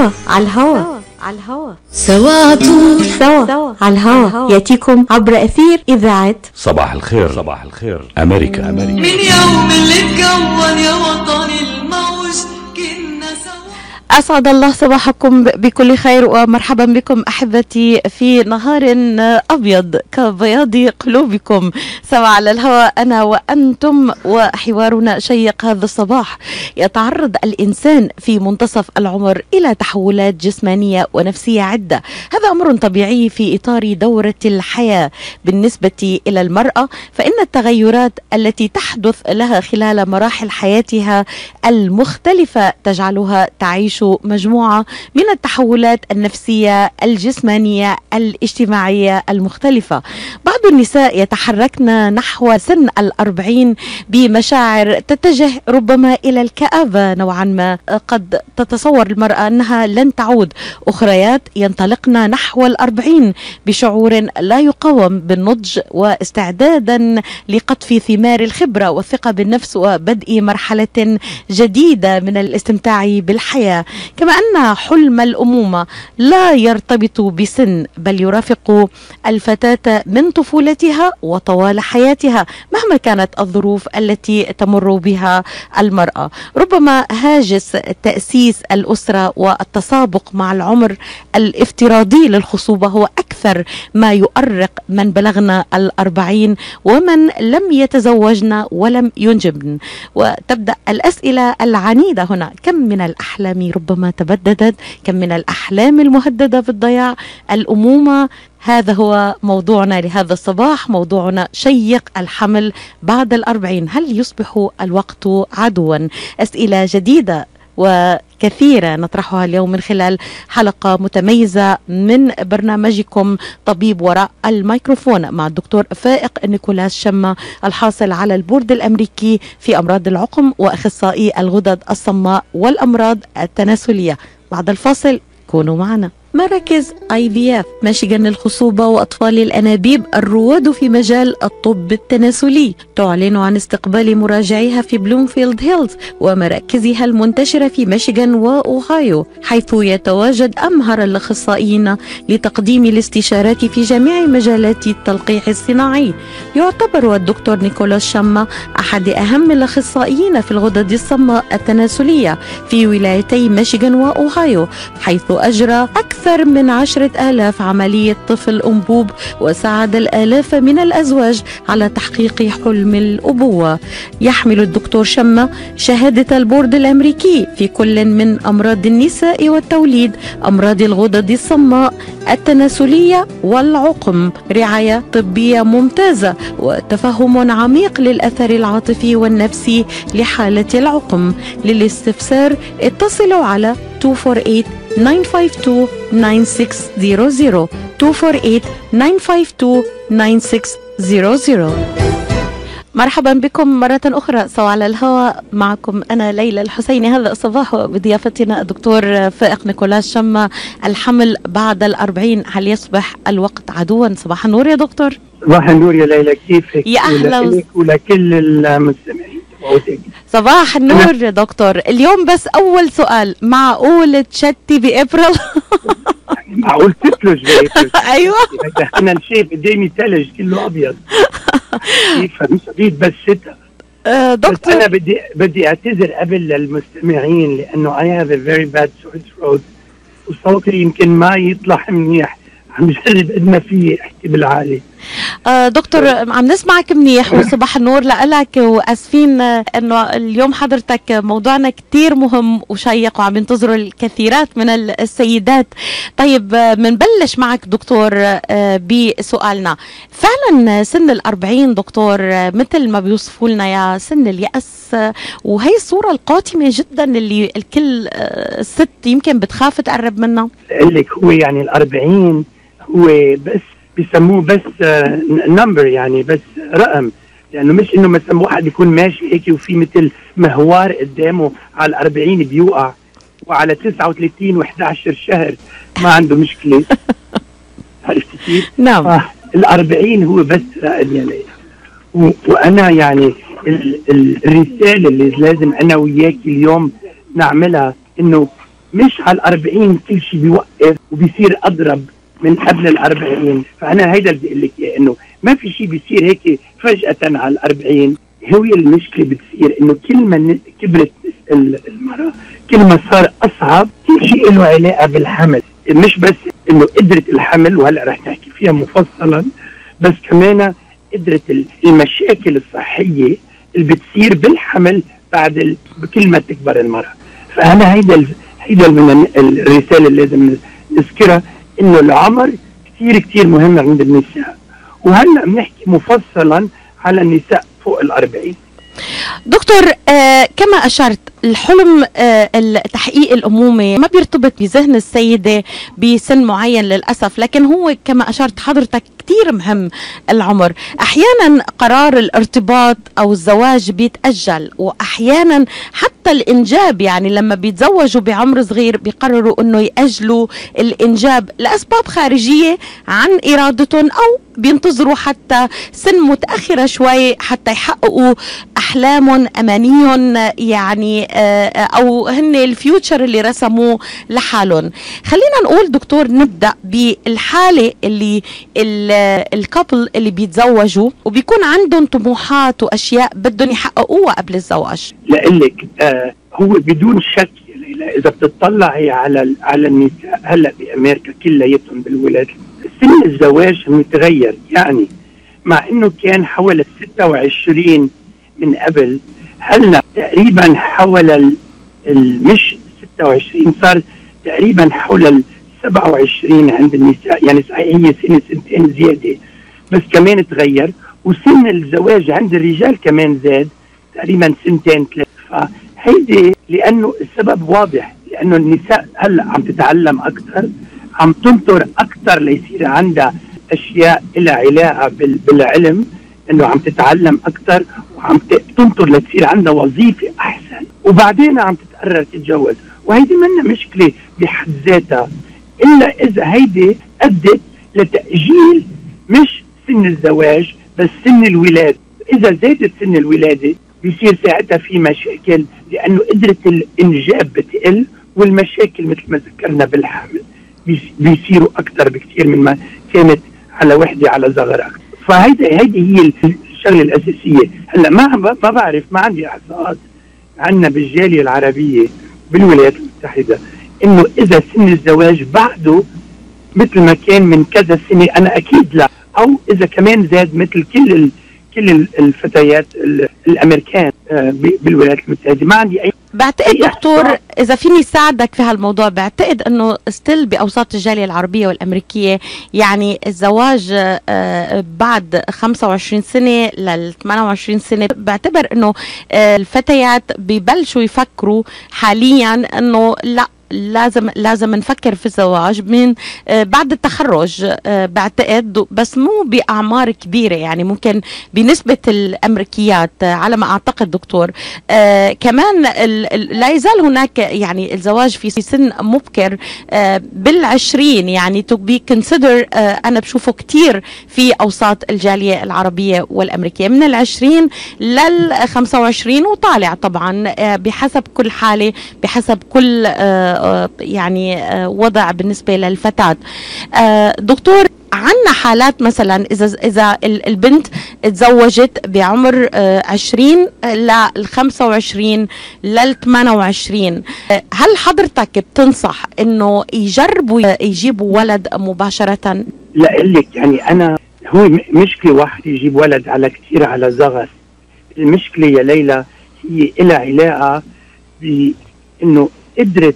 سوا على الهوا سوا على الهوا ياتيكم عبر أثير إذاعة صباح الخير أمريكا. من يوم اللي اتكون يا وطني الموج كنا سوا. أسعد الله صباحكم بكل خير ومرحبا بكم أحبتي في نهار أبيض كبياض قلوبكم. سوا على الهواء أنا وأنتم وحوارنا شيق هذا الصباح. يتعرض الإنسان في منتصف العمر إلى تحولات جسمانية ونفسية عدة. هذا أمر طبيعي في إطار دورة الحياة. بالنسبة إلى المرأة فإن التغيرات التي تحدث لها خلال مراحل حياتها المختلفة تجعلها تعيش مجموعة من التحولات النفسية الجسمانية الاجتماعية المختلفة. بعض النساء يتحركن نحو سن 40 بمشاعر تتجه ربما إلى الكآبة نوعا ما. قد تتصور المرأة أنها لن تعود. أخريات ينطلقن نحو 40 بشعور لا يقاوم بالنضج واستعدادا لقطف ثمار الخبرة والثقة بالنفس وبدء مرحلة جديدة من الاستمتاع بالحياة. كما أن حلم الأمومة لا يرتبط بسن بل يرافق الفتاة من طفولتها وطوال حياتها مهما كانت الظروف التي تمر بها المرأة. ربما هاجس تأسيس الأسرة والتسابق مع العمر الافتراضي للخصوبة هو أكثر ما يؤرق من بلغنا 40 ومن لم يتزوجن ولم ينجبن. وتبدأ الأسئلة العنيدة هنا: كم من الأحلام ربما تبددت؟ كم من الأحلام المهددة بالضياع؟ الأمومة. هذا هو موضوعنا لهذا الصباح. موضوعنا شيق: الحمل بعد 40. هل يصبح الوقت عدوا؟ أسئلة جديدة وكثيرة نطرحها اليوم من خلال حلقة متميزة من برنامجكم طبيب وراء الميكروفون مع الدكتور فائق نيكولاس شمة، الحاصل على البورد الأمريكي في أمراض العقم وأخصائي الغدد الصماء والأمراض التناسلية. بعد الفاصل كونوا معنا. مراكز IVF ميشيغان للخصوبة وأطفال الأنابيب الرواد في مجال الطب التناسلي تعلن عن استقبال مراجعيها في بلومفيلد هيلز ومراكزها المنتشرة في ميشيغان وأوهايو، حيث يتواجد أمهر الأخصائيين لتقديم الاستشارات في جميع مجالات التلقيح الصناعي. يعتبر الدكتور نيكولاس شمة أحد أهم الأخصائيين في الغدد الصماء التناسلية في ولايتي ميشيغان وأوهايو، حيث أجرى أكثر من 10,000 عملية طفل أنبوب وساعد الآلاف من الأزواج على تحقيق حلم الأبوة. يحمل الدكتور شمة شهادة البورد الأمريكي في كل من أمراض النساء والتوليد، أمراض الغدد الصماء التناسلية والعقم، رعاية طبية ممتازة وتفهم عميق للأثر العاطفي والنفسي لحالة العقم. للاستفسار اتصلوا على 248-952-9600 248-952-9600. مرحبا بكم مرة أخرى سوا على الهواء. معكم أنا ليلى الحسيني هذا الصباح بضيافتنا الدكتور فائق نيكولاس شمة. الحمل بعد 40، هل يصبح الوقت عدوا؟ صباح النور يا دكتور. صباح النور يا ليلى، كيفك؟ يا أهلا ولكل المستمعين. صباح النور يا دكتور. اليوم بس أول سؤال: معقول تشتي بأبريل؟ معقول تثلج بأبريل؟ أيوة. أنا شايف قدامي ثلج كله أبيض. كيف مش أريد بس شتاء. دكتور بس أنا بدي أعتذر قبل للمستمعين لأنه I have a very bad sore throat وصوتي يمكن ما يطلع منيح. عم جرب قد ما فيه احكي بالعالي. دكتور عم نسمعك منيح وصباح النور لك، واسفين انه اليوم حضرتك موضوعنا كتير مهم وشيق وعم ينتظروا الكثيرات من السيدات. طيب منبلش معك دكتور بسؤالنا. فعلا سن 40 دكتور مثل ما بيوصفوا لنا يا سن اليأس، وهي الصورة القاتمة جدا اللي الكل ست يمكن بتخاف تقرب منها. قال لك هو يعني 40 هو بس بيسموه بس نمبر، يعني بس رقم، لانه مش انه مثلا واحد يكون ماشي هيك وفي مثل مهوار قدامه على 40 بيوقع وعلى 39 و11 شهر ما عنده مشكله. عرفت كيف؟ نعم. ال40 هو بس رقم يا ليلى. وانا يعني الرساله اللي لازم انا وياك اليوم نعملها انه مش على 40 كل شيء بيوقف وبيصير أضرب من قبل 40. فأنا هيدا اللي بدي أقول لك إياه، إنه ما في شيء بيصير هيك فجأة على 40. هو المشكلة بتصير إنه كل ما كبرت المرأة كل ما صار أصعب. كل شيء له علاقة بالحمل، مش بس إنه قدرة الحمل، وهلأ رح نحكي فيها مفصلا، بس كمان قدرة المشاكل الصحية اللي بتصير بالحمل بعد بكل ما تكبر المرأة. فأنا هيدا من الرسالة اللي لازم نذكرها، إنه العمر كتير مهم عند النساء، وهلأ بنحكي مفصلا على النساء فوق 40. دكتور، كما أشرت الحلم تحقيق الأمومة ما بيرتبط بذهن السيدة بسن معين للأسف، لكن هو كما أشرت حضرتك كتير مهم العمر. أحيانا قرار الارتباط أو الزواج بيتأجل، وأحيانا حتى الإنجاب، يعني لما بيتزوجوا بعمر صغير بيقرروا أنه يأجلوا الإنجاب لأسباب خارجية عن إرادتهم، أو بينتظروا حتى سن متأخرة شوي حتى يحققوا أحلامهم أمانيهم، يعني أو هن الفيوتشر اللي رسموه لحالهم. خلينا نقول دكتور، نبدأ بالحالة اللي الكابل اللي بيتزوجوا وبيكون عندهم طموحات وأشياء بدهم يحققوها قبل الزواج. لقلك هو بدون شك إذا بتطلعي على النساء هلأ بأمريكا كلياتهم بالولايات، سن الزواج متغير. يعني مع إنه كان حوالي 26 من قبل، هلأ تقريبا حول مش 26، صار تقريبا حول 27 عند النساء. يعني صحيح هي سنتين زيادة، بس كمان تغير. وسن الزواج عند الرجال كمان زاد تقريبا 2-3. فهيدي لأنه السبب واضح، لأنه النساء هلأ عم تتعلم أكثر، عم تنطر أكثر ليصير عندها أشياء لها علاقة بالعلم، إنه عم تتعلم أكثر وعم تنطر لتصير عندها وظيفة أحسن، وبعدين عم تتقرر تتجوز. وهيدي منا مشكلة بحد ذاتها، إلا إذا هيدي أدت لتأجيل مش سن الزواج بس سن الولادة. إذا زادت سن الولادة بيصير ساعتها في مشاكل، لأنه قدرة الإنجاب بتقل، والمشاكل مثل ما ذكرنا بالحمل بيصيروا أكثر بكثير من ما كانت على وحدة على صغر أكثر. فهيدي هي الشغلة الأساسية. هلا ما بعرف، ما عندي إحصاءات عنا بالجالية العربية بالولايات المتحدة إنه إذا سن الزواج بعده مثل ما كان من كذا سنة، أنا أكيد لا، أو إذا كمان زاد مثل كل الفتيات الأمريكان بالولايات المتحدة. ما عندي أي. بعتقد دكتور إذا فيني ساعدك في هالموضوع، بعتقد أنه ستيل بأوساط الجالية العربية والأمريكية يعني الزواج بعد 25 سنة ل 28 سنة، بعتبر أنه الفتيات بيبلشوا يفكروا حاليا أنه لا، لازم نفكر في الزواج من بعد التخرج. بعتقد بس مو بأعمار كبيرة، يعني ممكن بنسبة الأمريكيات على ما أعتقد دكتور. كمان لا يزال هناك يعني الزواج في سن مبكر بال20، يعني to be consider. أنا بشوفه كتير في أوساط الجالية العربية والأمريكية من 20 لل25 وطالع، طبعا بحسب كل حالة، بحسب كل يعني وضع بالنسبة للفتاة. دكتور، عنا حالات مثلا إذا البنت تزوجت بعمر 20 ل 25 لل 28، هل حضرتك بتنصح إنه يجربوا يجيبوا ولد مباشرة؟ لا لك، يعني أنا هو مشكلة واحد يجيب ولد على كتير على صغر. المشكلة يا ليلى هي إلها علاقة بإنه قدرة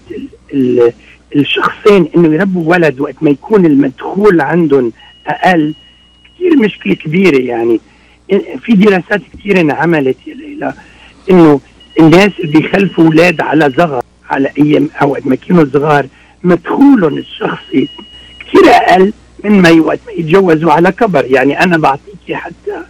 الشخصين انه يربوا ولد وقت ما يكون المدخول عندهم اقل. كثير مشكلة كبيرة. يعني في دراسات كثيرة انعملت يا ليلى انه الناس اللي بيخلفوا اولاد على صغر، على ايام او وقت ما كانوا صغار، مدخولهم الشخصي كثير اقل من ما وقت ما يتجوزوا على كبر. يعني انا بعطيكي حتى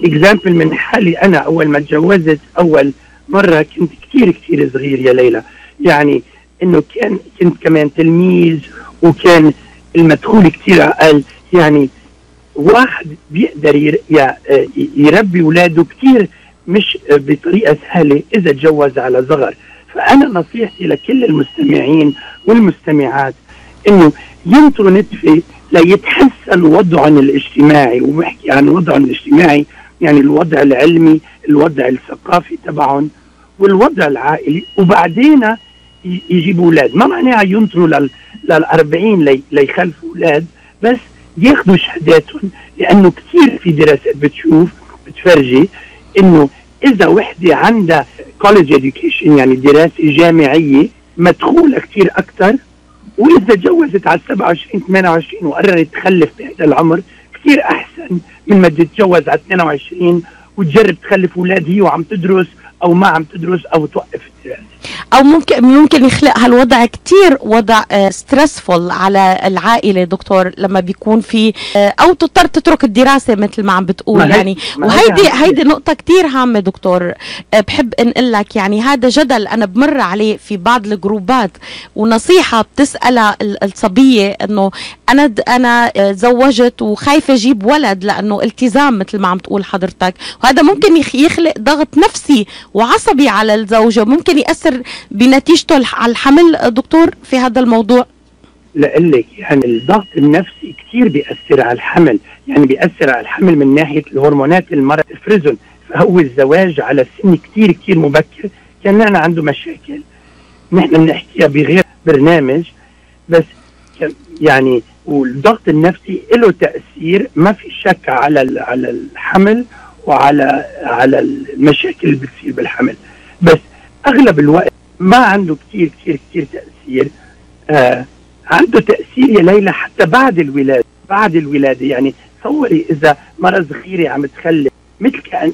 اكزامبل من حالي. انا اول ما تجوزت اول مرة كنت كثير صغير يا ليلى، يعني انه كنت كمان تلميذ، وكان المدخول كثير اقل. يعني واحد بيقدر يربي اولاده كثير مش بطريقه سهله اذا تجوز على صغر. فأنا نصيحتي لكل المستمعين والمستمعات إنه ينطروا نتفة ليتحسن وضعهم الاجتماعي، وبحكي عن وضعهم الاجتماعي يعني الوضع العلمي، الوضع الثقافي تبعهم، والوضع العائلي، وبعدين يجيبوا أولاد. ما معناها ينطروا لل40 ليخلفوا أولاد، بس ياخذوا شهاداتهم، لأنه كثير في دراسات بتفرجي إنه إذا وحدة عندها college education يعني دراسة جامعية مدخولة كثير أكثر، وإذا تجوزت على 27 28 وقررت تخلف بهذا العمر كثير أحسن من ما تتجوز على 22 وتجرب تخلف أولاد هي وعم تدرس أو ما عم تدرس أو توقف الدراسة. او ممكن يخلق هالوضع كتير وضع ستريسفول على العائله دكتور، لما بيكون في او تضطر تترك الدراسه مثل ما عم بتقول يعني. وهيدي نقطه كتير هامه دكتور، بحب انقل لك يعني هذا جدل انا بمر عليه في بعض الجروبات، ونصيحه بتسالها الصبيه انه انا زوجت وخايفه اجيب ولد لانه التزام مثل ما عم تقول حضرتك، وهذا ممكن يخلق ضغط نفسي وعصبي على الزوجه، ممكن يأثر بنتيجته على الحمل دكتور في هذا الموضوع. لقلك يعني الضغط النفسي كثير بيأثر على الحمل، يعني بيأثر على الحمل من ناحية الهرمونات المرأة تفرزن، فهو الزواج على سن كثير مبكر كان نحن عنده مشاكل نحن بنحكيها بغير برنامج، بس يعني والضغط النفسي له تأثير ما في شك على الحمل وعلى المشاكل اللي بتصير بالحمل، بس أغلب الوقت ما عنده كثير تأثير. عنده تأثير يا ليلى حتى بعد الولادة يعني تصوري إذا مرة صغيرة عم تخلف مثل كأن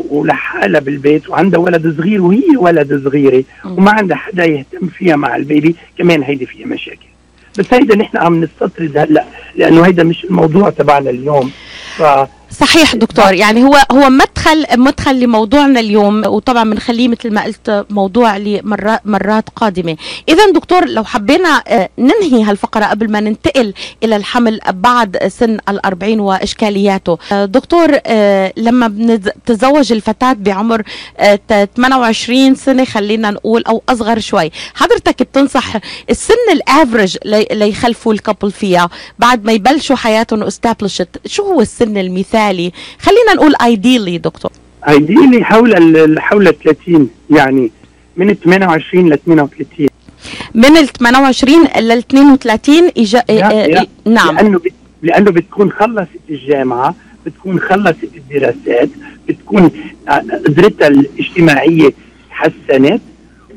ولحالها بالبيت وعندها ولد صغير وهي ولد صغيرة وما عندها حدا يهتم فيها مع البيبي، كمان هيدي فيها مشاكل. بس هيدا نحن عم نستطرد هلا لأنه هيدا مش الموضوع تبعنا اليوم. صحيح دكتور، يعني هو مدخل لموضوعنا اليوم، وطبعا بنخليه مثل ما قلت موضوع لمرات قادمة. إذا دكتور لو حبينا ننهي هالفقرة قبل ما ننتقل إلى الحمل بعد سن 40 وإشكالياته، دكتور لما بتتزوج الفتاة بعمر 28 سنة خلينا نقول أو أصغر شوي، حضرتك بتنصح السن الافرج ليخلفوا الكابل فيها بعد ما يبلشوا حياتهم established؟ شو هو السن المثالي؟ خلينا نقول ideally دكتور. ideally حول 30، يعني من 28 ل 38. من ال 28 لل 32 نعم. لأنه بتكون خلصت الجامعة، بتكون خلصت الدراسات، بتكون قدرتها الاجتماعية تحسنت،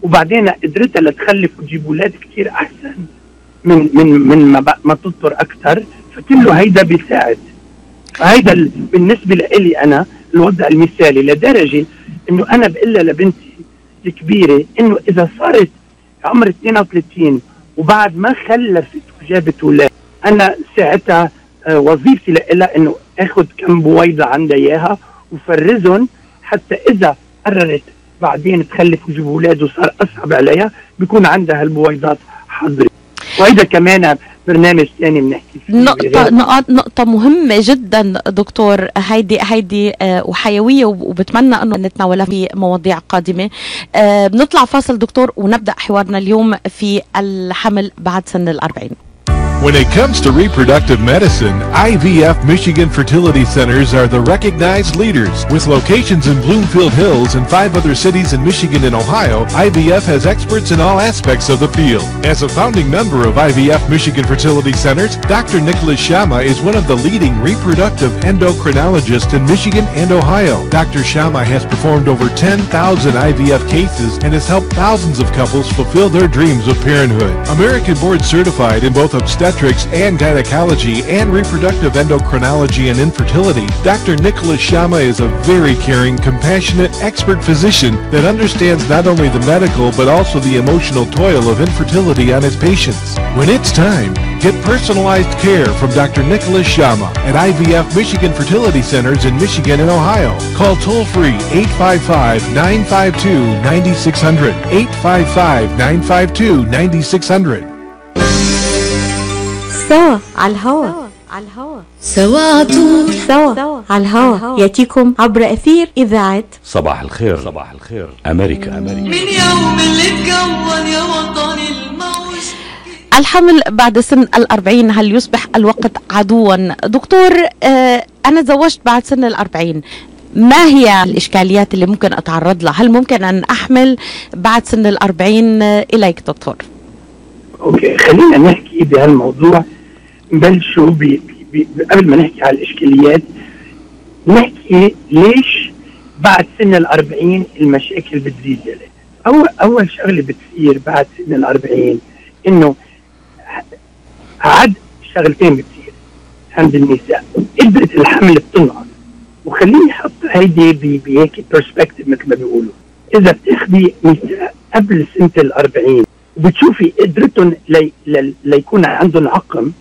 وبعدين قدرتها لتخلف وتجيب أولاد كتير أحسن من ما تضطر أكثر، فكله هيدا بيساعد. هيدا بالنسبة لي أنا الوضع المثالي، لدرجة إنه أنا بقول لبنتي الكبيرة إنه إذا صارت عمر 32 وبعد ما خلفت وجابت أولاد، أنا ساعتها وظيفتي لها إنه أخذ كم بويضة عندها إياها وفرزهم، حتى إذا قررت بعدين تخلف وتجيب أولاد وصار أصعب عليها بيكون عندها هالبويضات حاضرة. وهيدا كمان برنامج ثاني بنحكي فيه. نقطة مهمة جدا دكتور، هيدي وحيوية، وبتمنى انه نتناولها في مواضيع قادمة. بنطلع فاصل دكتور ونبدأ حوارنا اليوم في الحمل بعد سن 40. When it comes to reproductive medicine, IVF Michigan Fertility Centers are the recognized leaders. With locations in Bloomfield Hills and 5 other cities in Michigan and Ohio, IVF has experts in all aspects of the field. As a founding member of IVF Michigan Fertility Centers, Dr. Nicholas Shama is one of the leading reproductive endocrinologists in Michigan and Ohio. Dr. Shama has performed over 10,000 IVF cases and has helped thousands of couples fulfill their dreams of parenthood. American board certified in both obstetrics and gynecology and reproductive endocrinology and infertility, Dr. Nicholas Shama is a very caring, compassionate, expert physician that understands not only the medical but also the emotional toil of infertility on his patients. When it's time, get personalized care from Dr. Nicholas Shama at IVF Michigan Fertility Centers in Michigan and Ohio. Call toll-free 855-952-9600, 855-952-9600. سوا على الهوا. على الهوا سوا عطول سوا على الهوا ياتيكم عبر أثير إذاعة صباح الخير. صباح الخير أمريكا. من يوم اللي تكون يا وطني الموج. الحمل بعد سن 40، هل يصبح الوقت عدوا؟ دكتور، أنا تزوجت بعد سن 40، ما هي الإشكاليات اللي ممكن أتعرض لها؟ هل ممكن أن أحمل بعد سن 40 إليك دكتور؟ اوكي، خلينا نحكي بهالموضوع. نبلشوا قبل ما نحكي على الإشكاليات، نحكي ليش بعد سن 40 المشاكل بتزيد. أول شغلة بتصير بعد سن 40 إنه عد شغلتين بتصير عند النساء. قدرة الحمل بتنقص. وخليني أحط هيدي بهيك برسبكتيف مثل ما بيقولوا. إذا بتاخدي نساء قبل سنة 40 وبتشوفي قدرتهم ليكون عندهم عقم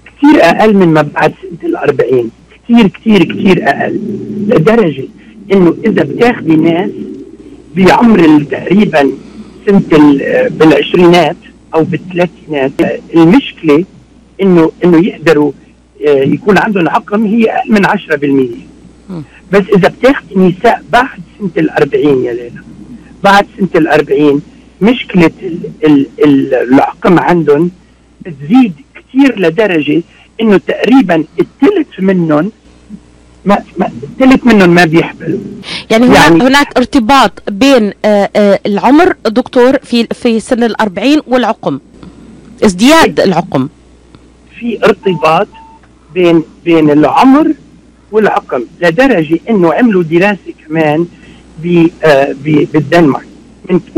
كتير أقل من ما بعد سنة 40، كتير كتير كتير أقل، لدرجة إنه إذا بتاخدي ناس بعمر تقريبا سنة بالعشرينات أو بالثلاثينات، المشكلة إنه يقدروا يكون عندهم عقم هي أقل من 10%. بس إذا بتاخدي نساء بعد سنة 40 يا ليلى، بعد سنة 40 مشكلة العقم عندهم بتزيد كتير لدرجة إنه تقريبا الثلث منهم ما بيحملوا. يعني هناك ارتباط بين العمر دكتور في سن 40 والعقم، ازدياد العقم. في ارتباط بين العمر والعقم لدرجة إنه عملوا دراسة كمان بالدنمارك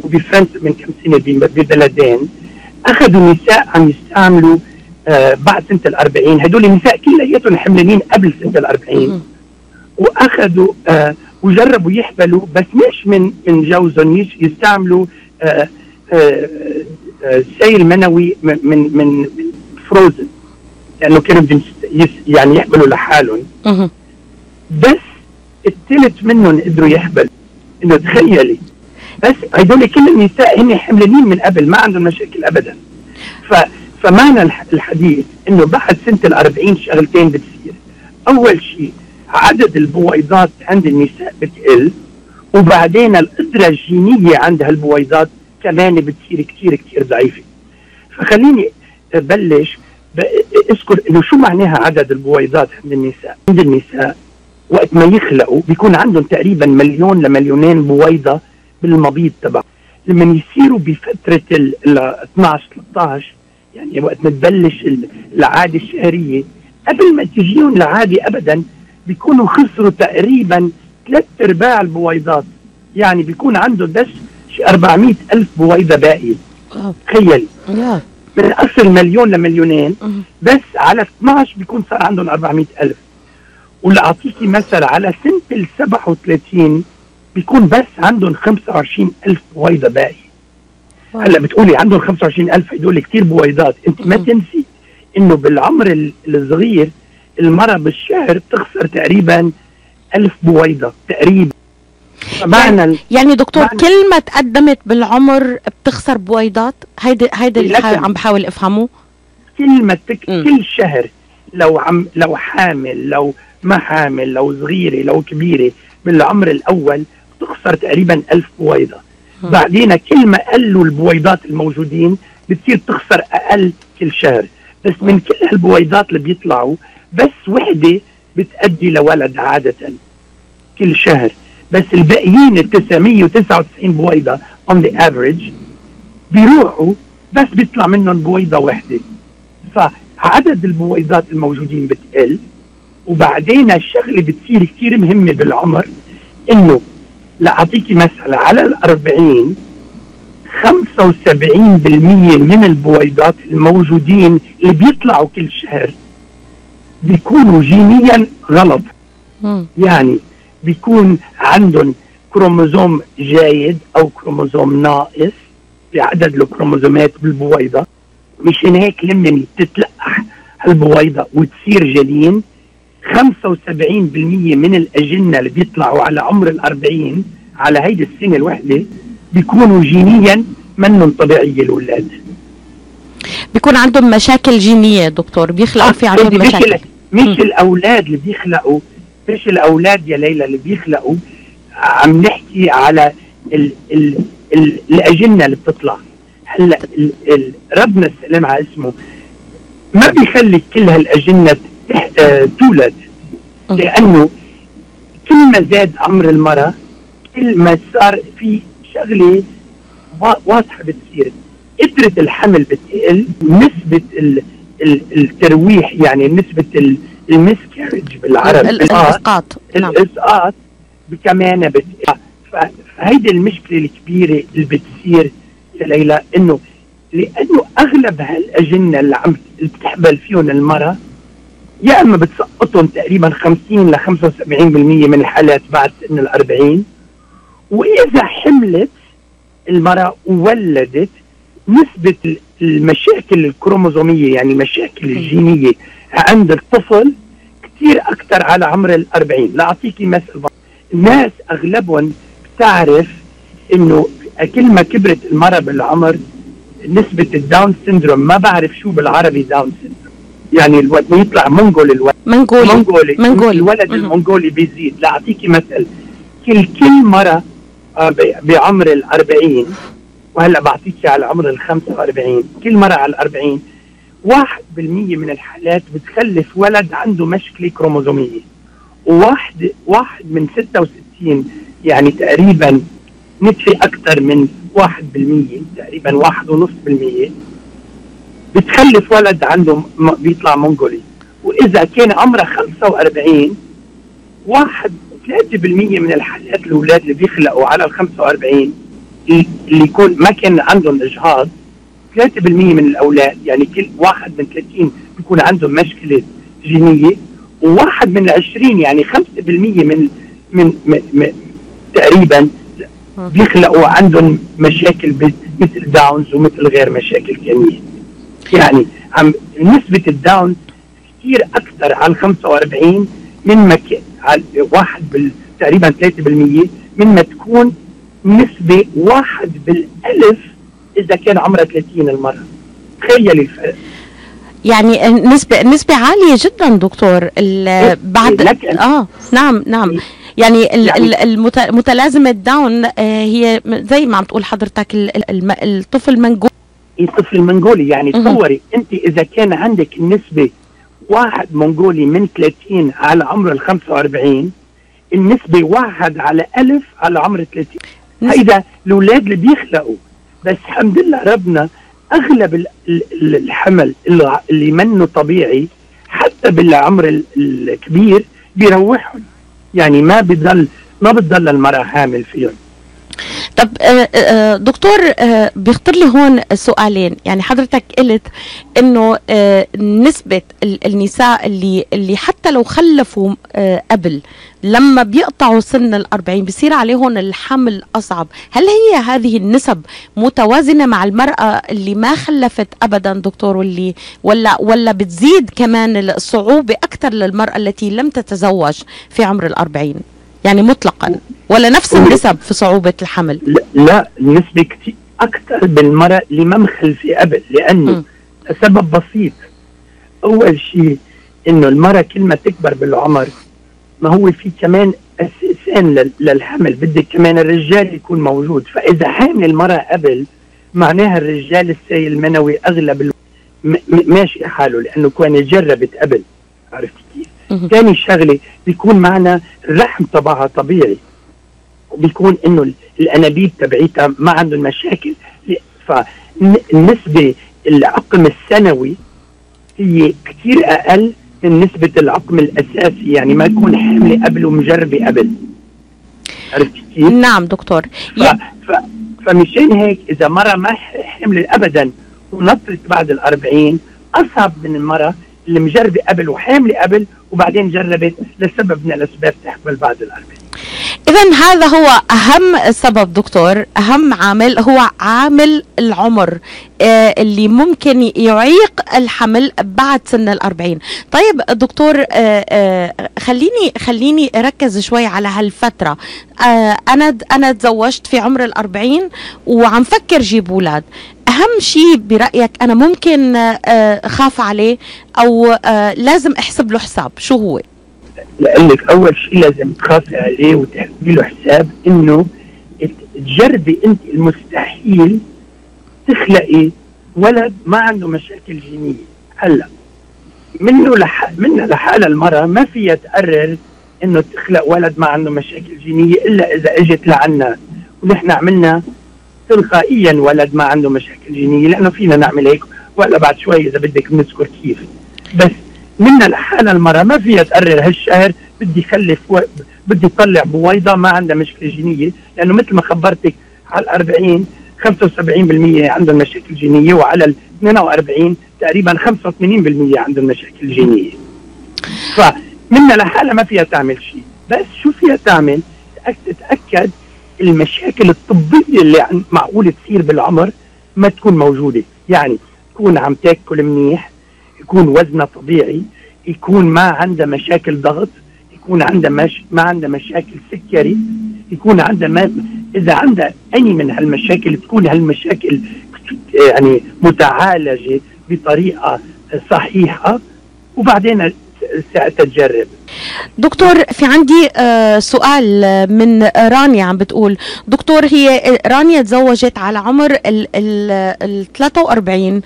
وبفرنسا من كم سنة ببلدين، أخذوا نساء عم يستعملوا بعد سنة 40. هدول النساء كلياتهم حملانين قبل سنة 40، وأخذوا وجربوا يحبلوا، بس مش من جوزهم، يستعملوا سيل منوي من فروزن، لأنه كانوا يعني يحبلوا لحالهم. بس الثلث منهم قدروا يحبلوا. إنه تخيلي، بس هدول كل النساء هن حملانين من قبل، ما عندهم مشاكل أبدا. فمعنى الحديث إنه بعد سنة 40 شغلتين بتصير. أول شيء عدد البويضات عند النساء بتقل، وبعدين القدرة الجينية عند هالبويضات كمان بتصير كتير كتير ضعيفة. فخليني بلش اذكر إنه شو معناها عدد البويضات عند النساء وقت ما يخلقوا بيكون عندهم تقريبا 1,000,000 ل 2,000,000 بويضة بالمبيض تبع. لما يصيروا بفترة 12-13، يعني وقت ما تبلش العادة الشهرية، قبل ما تجيهم العادة أبدا بيكونوا خسروا تقريبا 3/4 البويضات. يعني بيكون عنده بس 400,000 بويضة باقي. تخيلي، من أصل 1,000,000 ل 2,000,000 بس على 12 بيكون صار عندهم 400,000. ولأعطيكي مثل، على سنة 37 بيكون بس عندهم 25,000 بويضة باقي. هلا بتقولي عندهم 25,000، هدول كتير بويضات. انت ما تنسي انه بالعمر الصغير المرأة بالشهر بتخسر تقريبا 1000 بويضة تقريبا. يعني دكتور كل ما تقدمت بالعمر بتخسر بويضات. هيدا اللي عم بحاول افهمه. كل شهر لو حامل، لو ما حامل، لو صغيرة لو كبيرة، بالعمر الأول بتخسر تقريبا 1000 بويضة. بعدين كل ما قلوا البويضات الموجودين بتصير تخسر أقل كل شهر. بس من كل هالبويضات اللي بيطلعوا بس وحدة بتأدي لولد عادة كل شهر. بس الباقيين 999 بويضة on the average بيروحوا بس بيطلع منهم بويضة واحدة. فعدد البويضات الموجودين بتقل. وبعدين الشغلة بتصير كتير مهمة بالعمر، إنه لأعطيكي مثلا على 40 75% من البويضات الموجودين اللي بيطلعوا كل شهر بيكونوا جينيا غلط. يعني بيكون عندهم كروموزوم جيد أو كروموزوم ناقص بعدد الكروموزومات بالبويضة. مشان هيك لما تتلقح هالبويضة وتصير جنين، 75% من الأجنة اللي بيطلعوا على عمر 40 على هيدي السنة الوحدة بيكونوا جينيا منهم طبيعية الأولاد. بيكون عندهم مشاكل جينية دكتور، بيخلقوا في عندهم مشاكل. مش الأولاد اللي بيخلقوا، مش الأولاد يا ليلى اللي بيخلقوا، عم نحكي على الأجنة اللي بتطلع. هلا ربنا السلام على اسمه ما بيخلي كل هالأجنة تولد، لأنه كل ما زاد عمر المرأة كل ما صار في شغلة واضحة بتصير، قدرة الحمل بتقل، نسبة الترويح يعني نسبة المسكارج بالعربي الإسقاط الإسقاط كمان بتقل. فهيدي المشكلة الكبيرة اللي بتصير يا ليلى، إنه لأنه أغلب هالأجنة اللي بتحبل فيهم المرأة يا اما بتسقطهم تقريبا 50 ل 75% من الحالات بعد سن ال40، واذا حملت المرأة وولدت نسبة المشاكل الكروموزومية يعني المشاكل الجينية عند الطفل كتير اكتر على عمر ال40. لاعطيكي مثل، الناس اغلبهم بتعرف انه كل ما كبرت المرأة بالعمر نسبة الداون سيندروم، ما بعرف شو بالعربي داون سيندروم، يعني الولد يطلع منغولي الولد المنغولي بيزيد. لاعطيكي مثل، كل مرة بعمر ال40، وهلا بعطيكي على عمر ال45، كل مرة على ال40 1% من الحالات بتخلف ولد عنده مشكلة كروموزومية، واحد من 66 يعني تقريبا نتفي أكثر من 1%، تقريبا 1.5% بتخلف ولد عنده بيطلع منغولي. وإذا كان عمره 45 3% من الحالات الأولاد اللي بيخلقوا على ال45 اللي يكون ما كان عندهم إجهاض، 3% من الأولاد يعني كل 1 من 30 بيكون عندهم مشكلة جينية، و1 من 20 يعني 5% من تقريبا بيخلقوا عندهم مشاكل مثل داونز ومثل غير مشاكل ثانية. يعني نسبة الداون كثير أكثر على 45 من ما على تقريبا 3% من ما تكون نسبة 1 بالألف إذا كان عمرها 30 المرة. تخيلي الفرق، يعني نسبة عالية جدا دكتور. بعد نعم يعني متلازمة داون هي زي ما عم تقول حضرتك الطفل منغولي. الطفل المنغولي يعني تصوري انت اذا كان عندك النسبة 1 منغولي من 30 على عمر ال45، النسبة 1 على 1000 على عمر 30. هيدا الأولاد اللي بيخلقوا، بس الحمد لله ربنا أغلب الحمل اللي منه طبيعي حتى بالعمر الكبير بيروحهم، يعني ما بتضل المرأة حامل فيهم. طب دكتور، بيخطر لي هون سؤالين. يعني حضرتك قلت انه نسبة النساء اللي حتى لو خلفوا قبل لما بيقطعوا سن ال40 بيصير عليهم الحمل أصعب. هل هي هذه النسب متوازنة مع المرأة اللي ما خلفت أبدا دكتور، ولا بتزيد كمان الصعوبة أكثر للمرأة التي لم تتزوج في عمر ال40 يعني مطلقا، ولا نفس النسب في صعوبة الحمل؟ لا النسبة كتير أكثر بالمرأة اللي ما مخلفة قبل، لأنه سبب بسيط. أول شيء إنه المرأة كل ما تكبر بالعمر ما هو في كمان أساسين للحمل، بدك كمان الرجال يكون موجود. فإذا حامل المرأة قبل معناها الرجال السيل المنوي أغلب ماشي حاله، لأنه كان جربت قبل. عرفت كيف؟ ثاني شغلة بيكون معنا الرحم تبعها طبيعي، وبيكون إنه الأنابيب تبعيتها ما عندهم مشاكل. فالنسبة العقم السنوي هي كتير أقل من نسبة العقم الأساسي، يعني ما يكون حاملة قبل ومجربة قبل. عرفت كيف؟ نعم دكتور. فمشان هيك إذا مرة ما حملت أبدا ونطرت بعد ال40 أصعب من المرة اللي مجربة قبل وحاملة قبل وبعدين جربت لسبب من الأسباب تحمل بعد ال40. إذن هذا هو أهم سبب دكتور، أهم عامل هو عامل العمر اللي ممكن يعيق الحمل بعد سن 40. طيب دكتور، خليني أركز شوي على هالفترة. أنا تزوجت في عمر 40 وعم فكر جيب أولاد. أهم شيء برأيك أنا ممكن خاف عليه أو لازم أحسب له حساب، شو هو؟ لقلك أول شيء لازم تخافي عليه وتحسبي له حساب إنه تجربي أنت المستحيل تخلقي ولد ما عنده مشاكل جينية. هلا منها لحالها المرأة ما فيها تقرر إنه تخلق ولد ما عنده مشاكل جينية إلا إذا إجت لعنا ونحن عملنا تلقائيا ولد ما عنده مشاكل جينية، لأنه فينا نعمل هيك ولا بعد شوي إذا بدك نذكر كيف. بس منها لحالها المرأة ما فيها تقرر هالشهر بدي خلف بدي طلع بويضة ما عندها مشكلة جينية، لأنه مثل ما خبرتك على 40 75% عندهم مشاكل جينية، وعلى ال 42 تقريبا 85% عندهم مشاكل جينية. فمنها لحالها ما فيها تعمل شيء، بس شو فيها تعمل؟ تتأكد المشاكل الطبية اللي معقول تصير بالعمر ما تكون موجودة. يعني تكون عم تاكل منيح، يكون وزنها طبيعي، يكون ما عندها مشاكل ضغط، يكون عندها ما عندها مشاكل سكري، يكون عندها إذا عندها أي من هالمشاكل تكون هالمشاكل يعني متعالجة بطريقة صحيحة، وبعدين ساعتها تجرب. دكتور، في عندي سؤال من رانيا عم بتقول دكتور، هي رانيا تزوجت على عمر ال 43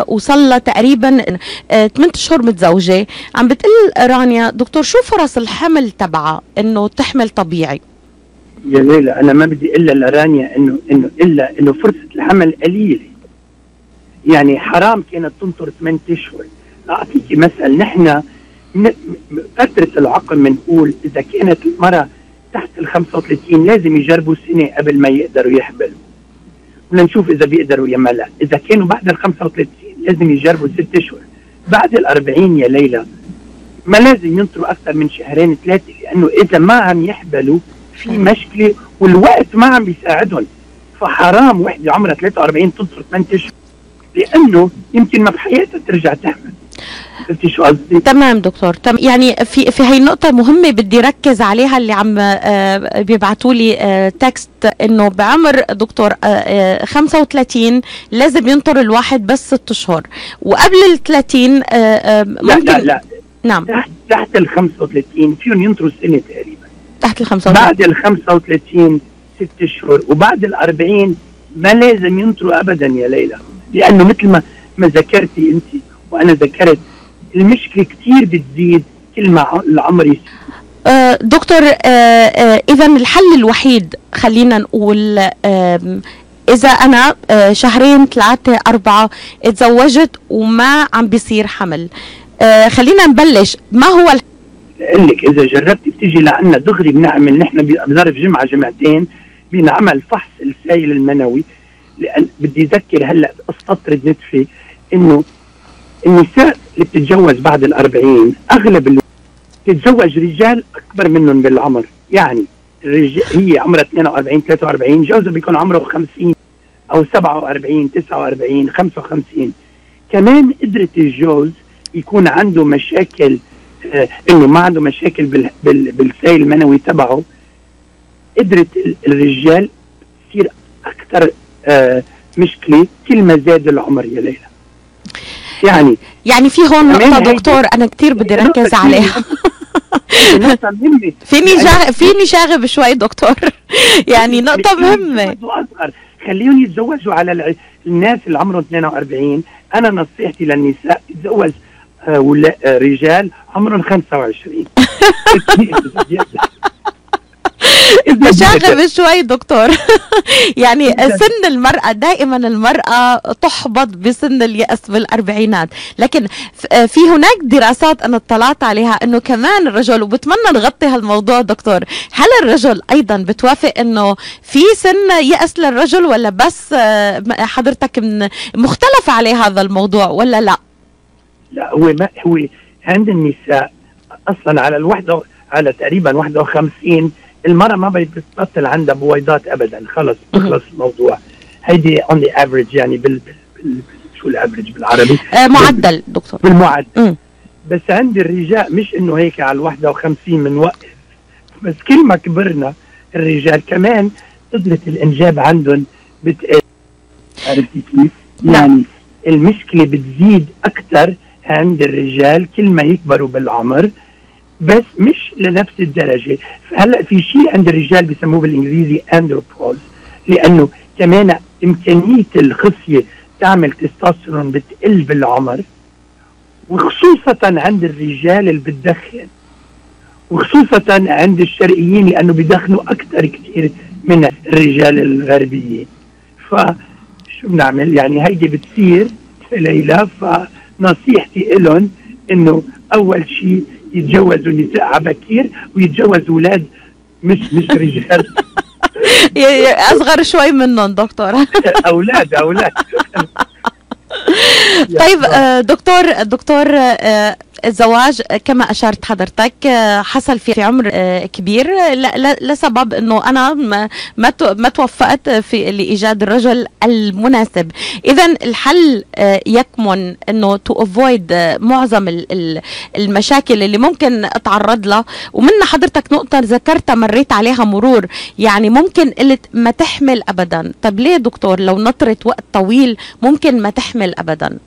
وصلها تقريبا 8 أشهر متزوجة. عم بتقول رانيا دكتور شو فرص الحمل تبعها انه تحمل طبيعي؟ يا ليلى انا ما بدي الا لرانيا انه فرصة الحمل قليلة، يعني حرام كانت تنطر 8 أشهر. أعطيكي مثل، نحن فترة العقم بنقول إذا كانت المرأة تحت ال 35 لازم يجربوا سنة قبل ما يقدروا يحبلوا، ولنشوف إذا بيقدروا يا ما لا. إذا كانوا بعد ال 35 لازم يجربوا 6 أشهر. بعد ال 40 يا ليلى ما لازم ينطروا أكثر من 2 3 شهور، لأنه إذا ما عم يحبلوا في مشكلة والوقت ما عم بيساعدهم. فحرام وحدة عمرها 43 تنطر 8 أشهر، لأنه يمكن ما بحياتها ترجع تحمل. شو قصدي؟ تمام دكتور. يعني في هي نقطة مهمة بدي ركز عليها، اللي عم بيبعتوا لي تكست انه بعمر دكتور 35 لازم ينطر الواحد بس 6 أشهر، وقبل ال 30 ممكن لا نعم تحت ال 35 فيهم ينطروا سنة تقريبا. تحت ال 35 بعد ال 35 6 أشهر، وبعد ال 40 ما لازم ينطروا ابدا يا ليلى، لانه مثل ما ذكرتي انت وانا ذكرت المشكلة كتير بتزيد كل ما العمر يزيد. دكتور، إذا الحل الوحيد خلينا نقول إذا أنا 2 3 4 اتزوجت وما عم بيصير حمل، خلينا نبلش. ما هو قال لك إذا جربتي بتيجي لعنا دغري بنعمل نحن بظرف جمعة جمعتين بنعمل فحص السائل المنوي. لأن بدي أذكر هلأ أستطرد نتفي إنه النساء اللي بتتجوز بعد ال 40 أغلب بتتزوج رجال أكبر منهم بالعمر. يعني هي عمرها 42 43 جوزها بيكون عمره 50 أو 47 49 55. كمان قدرة الجوز يكون عنده مشاكل، إنه ما عنده مشاكل بالسائل المنوي تبعه. قدرة الرجال تصير أكثر مشكلة كل ما زاد العمر يا ليلى. يعني في هون نقطة دكتور أنا كتير بدي ركز عليها. فيني شاغب شوي دكتور. يعني نقطة مهمة. خليهم يتزوجوا على الناس اللي عمرهم 42. أنا نصيحتي للنساء يتزوج رجال عمرهم 25. شاغب شوي دكتور. يعني سن المرأة دائما المرأة تحبط بسن اليأس بالأربعينات، لكن في هناك دراسات أنا اطلعت عليها أنه كمان الرجل، وبتمنى نغطي هالموضوع دكتور، هل الرجل أيضا بتوافق أنه في سن يأس للرجل، ولا بس حضرتك مختلف عليه هذا الموضوع ولا لا؟ لا هو عند النساء أصلا على تقريبا 51 المرأة ما بتبطل عندها بويضات ابدا، خلص بخلص الموضوع. هيدي on the average يعني شو الافريج بالعربي؟ معدل دكتور. بالمعدل. بس عند الرجال مش انه هيك على 51 بنوقف، بس كل ما كبرنا الرجال كمان قدرة الانجاب عندهم بتقل. عرفتي كيف؟ يعني المشكلة بتزيد اكثر عند الرجال كل ما يكبروا بالعمر، بس مش لنفس الدرجة. هلا في شيء عند الرجال بيسموه بالانجليزي اندروبوز، لانه كمان امكانية الخصية تعمل تستوستيرون بتقل بالعمر، وخصوصا عند الرجال اللي بتدخن، وخصوصا عند الشرقيين لانه بيدخنوا اكثر كثير من الرجال الغربيين. فشو بنعمل؟ يعني هيدي بتصير ليلى. فنصيحتي لهم انه اول شيء يتجوزوا نساء عبكير ويتجوزوا اولاد مش رجال اصغر شوي منهم دكتور. اولاد طيب دكتور الزواج كما أشرت حضرتك حصل في عمر كبير لسبب أنه أنا ما توفقت في لإيجاد الرجل المناسب. إذن الحل يكمن أنه to avoid معظم المشاكل اللي ممكن أتعرض لها، ومن حضرتك نقطة ذكرتها مريت عليها مرور، يعني ممكن قلت ما تحمل أبدا. طب ليه دكتور لو نطرت وقت طويل ممكن ما تحمل أبدا؟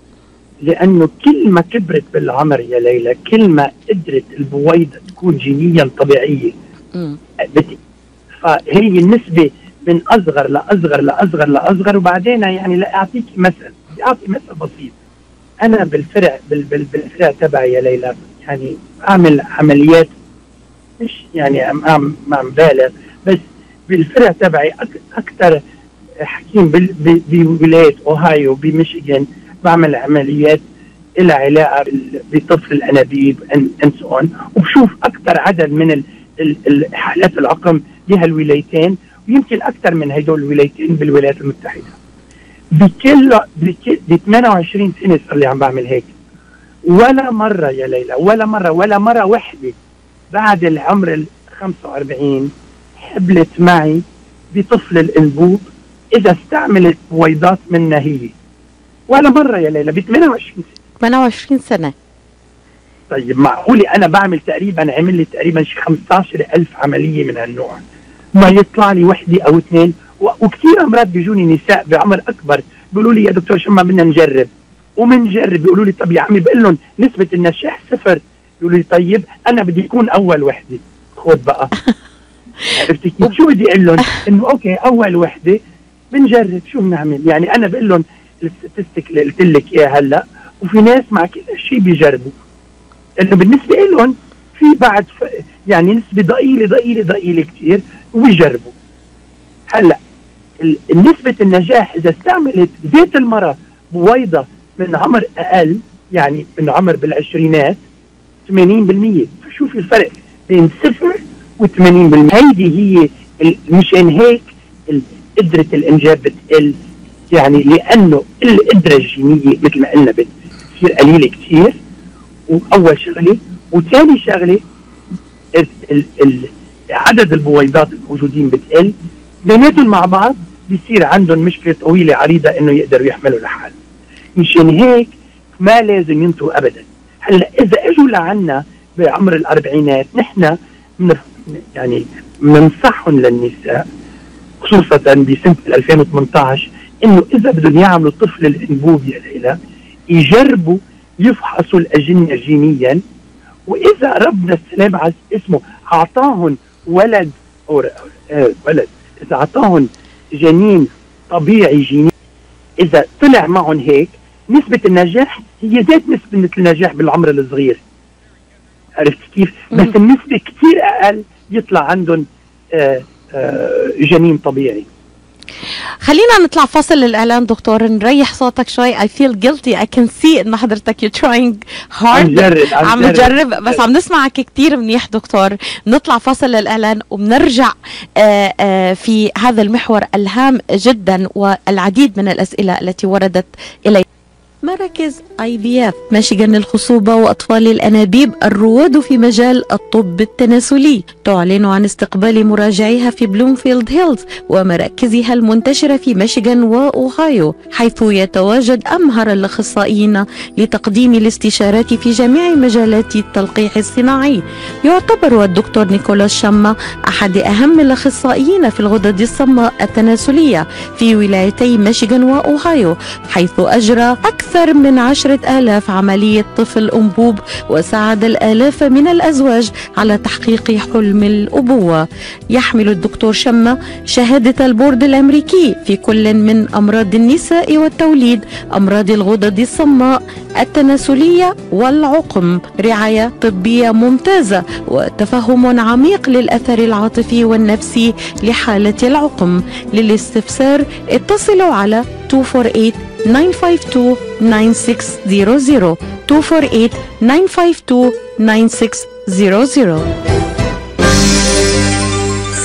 لأنه كل ما كبرت بالعمر يا ليلى كل ما قدرت البويضة تكون جينيا طبيعية. فهي النسبة من أصغر لأصغر. وبعدين يعني أعطي مثل بسيط. أنا بالفرع تبعي يا ليلى يعني أعمل عمليات، مش يعني ما بالغ، بس بالفرع تبعي أكثر حكيم بولاية أوهايو بميشيغان بعمل عمليات إلى علاقة بطفل الأنابيب وبشوف أكثر عدد من الحالات العقم بهالولايتين، ويمكن أكثر من هدول الولايتين بالولايات المتحدة. بكل 28 سنة صار لي عم بعمل هيك، ولا مرة يا ليلى ولا مرة وحدة بعد العمر 45 حبلت معي بطفل الأنبوب إذا استعملت بويضات منها هي. ولا مرة يا ليلى ب 28 سنة. طيب معقولي أنا عمل لي تقريبا 15,000 عملية من هالنوع، ما يطلع لي وحدة أو اثنين. وكثير أمراض بيجوني نساء بعمر أكبر بيقولوا لي يا دكتور شو ما بدنا نجرب، ومنجرب. بيقولوا لي طب يا عمي بقول لهم نسبة النجاح 0. بيقولوا لي طيب أنا بدي يكون أول وحدة. خد بقى. عرفتي كيف؟ شو بدي أقول لهم؟ إنه أوكي أول وحدة بنجرب شو بنعمل. يعني أنا بقول لهم الستاتستيك اللي قلت لك اياها هلا، وفي ناس مع كل شيء بيجربوا، لانه بالنسبه لهم في بعد يعني نسبه ضئيله كثير وبيجربوا. هلا نسبه النجاح اذا استعملت ذات المراه بويضه من عمر اقل، يعني من عمر بالعشرينات 80%. فشوفي الفرق بين 0 و80%. هيدي هي مشان هيك قدره الانجاب بتقل، يعني لأنه القدرة الجينية مثل ما قلنا بتصير قليلة كثير. وأول شغلة، وثاني شغلة عدد البويضات الموجودين بتقل، بيناتهم مع بعض بيصير عندهم مشكلة طويلة عريضة إنه يقدروا يحملوا لحال. مشان هيك ما لازم ينطوا أبدا. هلا إذا إجوا لعنا بعمر الأربعينات نحن يعني بننصحهم للنساء خصوصا بسنة 2018 إنه إذا بدهم يعملوا طفل الأنبوب يا ليلى يجربوا يفحصوا الأجنة جينيا، وإذا ربنا السلام اسمه أعطاهم ولد إذا أعطاهم جنين طبيعي جيني، إذا طلع معهم هيك نسبة النجاح هي ذات نسبة النجاح بالعمر الصغير. عرفت كيف؟ بس النسبة كتير أقل يطلع عندهم جنين طبيعي. خلينا نطلع فاصل الإعلان دكتور، نريح صوتك شوي. I feel guilty. I can see إن حضرتك you're trying hard. عم نجرب بس عم نسمعك كتير منيح دكتور. نطلع فاصل للإعلان وبنرجع في هذا المحور الهام جدا والعديد من الأسئلة التي وردت إلي. مراكز IVF ميشيغان للخصوبة وأطفال الأنابيب الرواد في مجال الطب التناسلي تعلن عن استقبال مراجعيها في بلومفيلد هيلز ومراكزها المنتشرة في ميشيغان وأوهايو، حيث يتواجد أمهر الأخصائيين لتقديم الاستشارات في جميع مجالات التلقيح الصناعي. يعتبر الدكتور نيكولاس شما أحد أهم الأخصائيين في الغدد الصماء التناسلية في ولايتي ميشيغان وأوهايو، حيث أجرى أكثر من 10,000 عملية طفل أنبوب وساعد الآلاف من الأزواج على تحقيق حلم الأبوة. يحمل الدكتور شما شهادة البورد الأمريكي في كل من أمراض النساء والتوليد، أمراض الغدد الصماء التناسلية والعقم، رعاية طبية ممتازة وتفهم عميق للأثر العاطفي والنفسي لحالة العقم. للاستفسار اتصلوا على 248-952-9600 248-952-9600.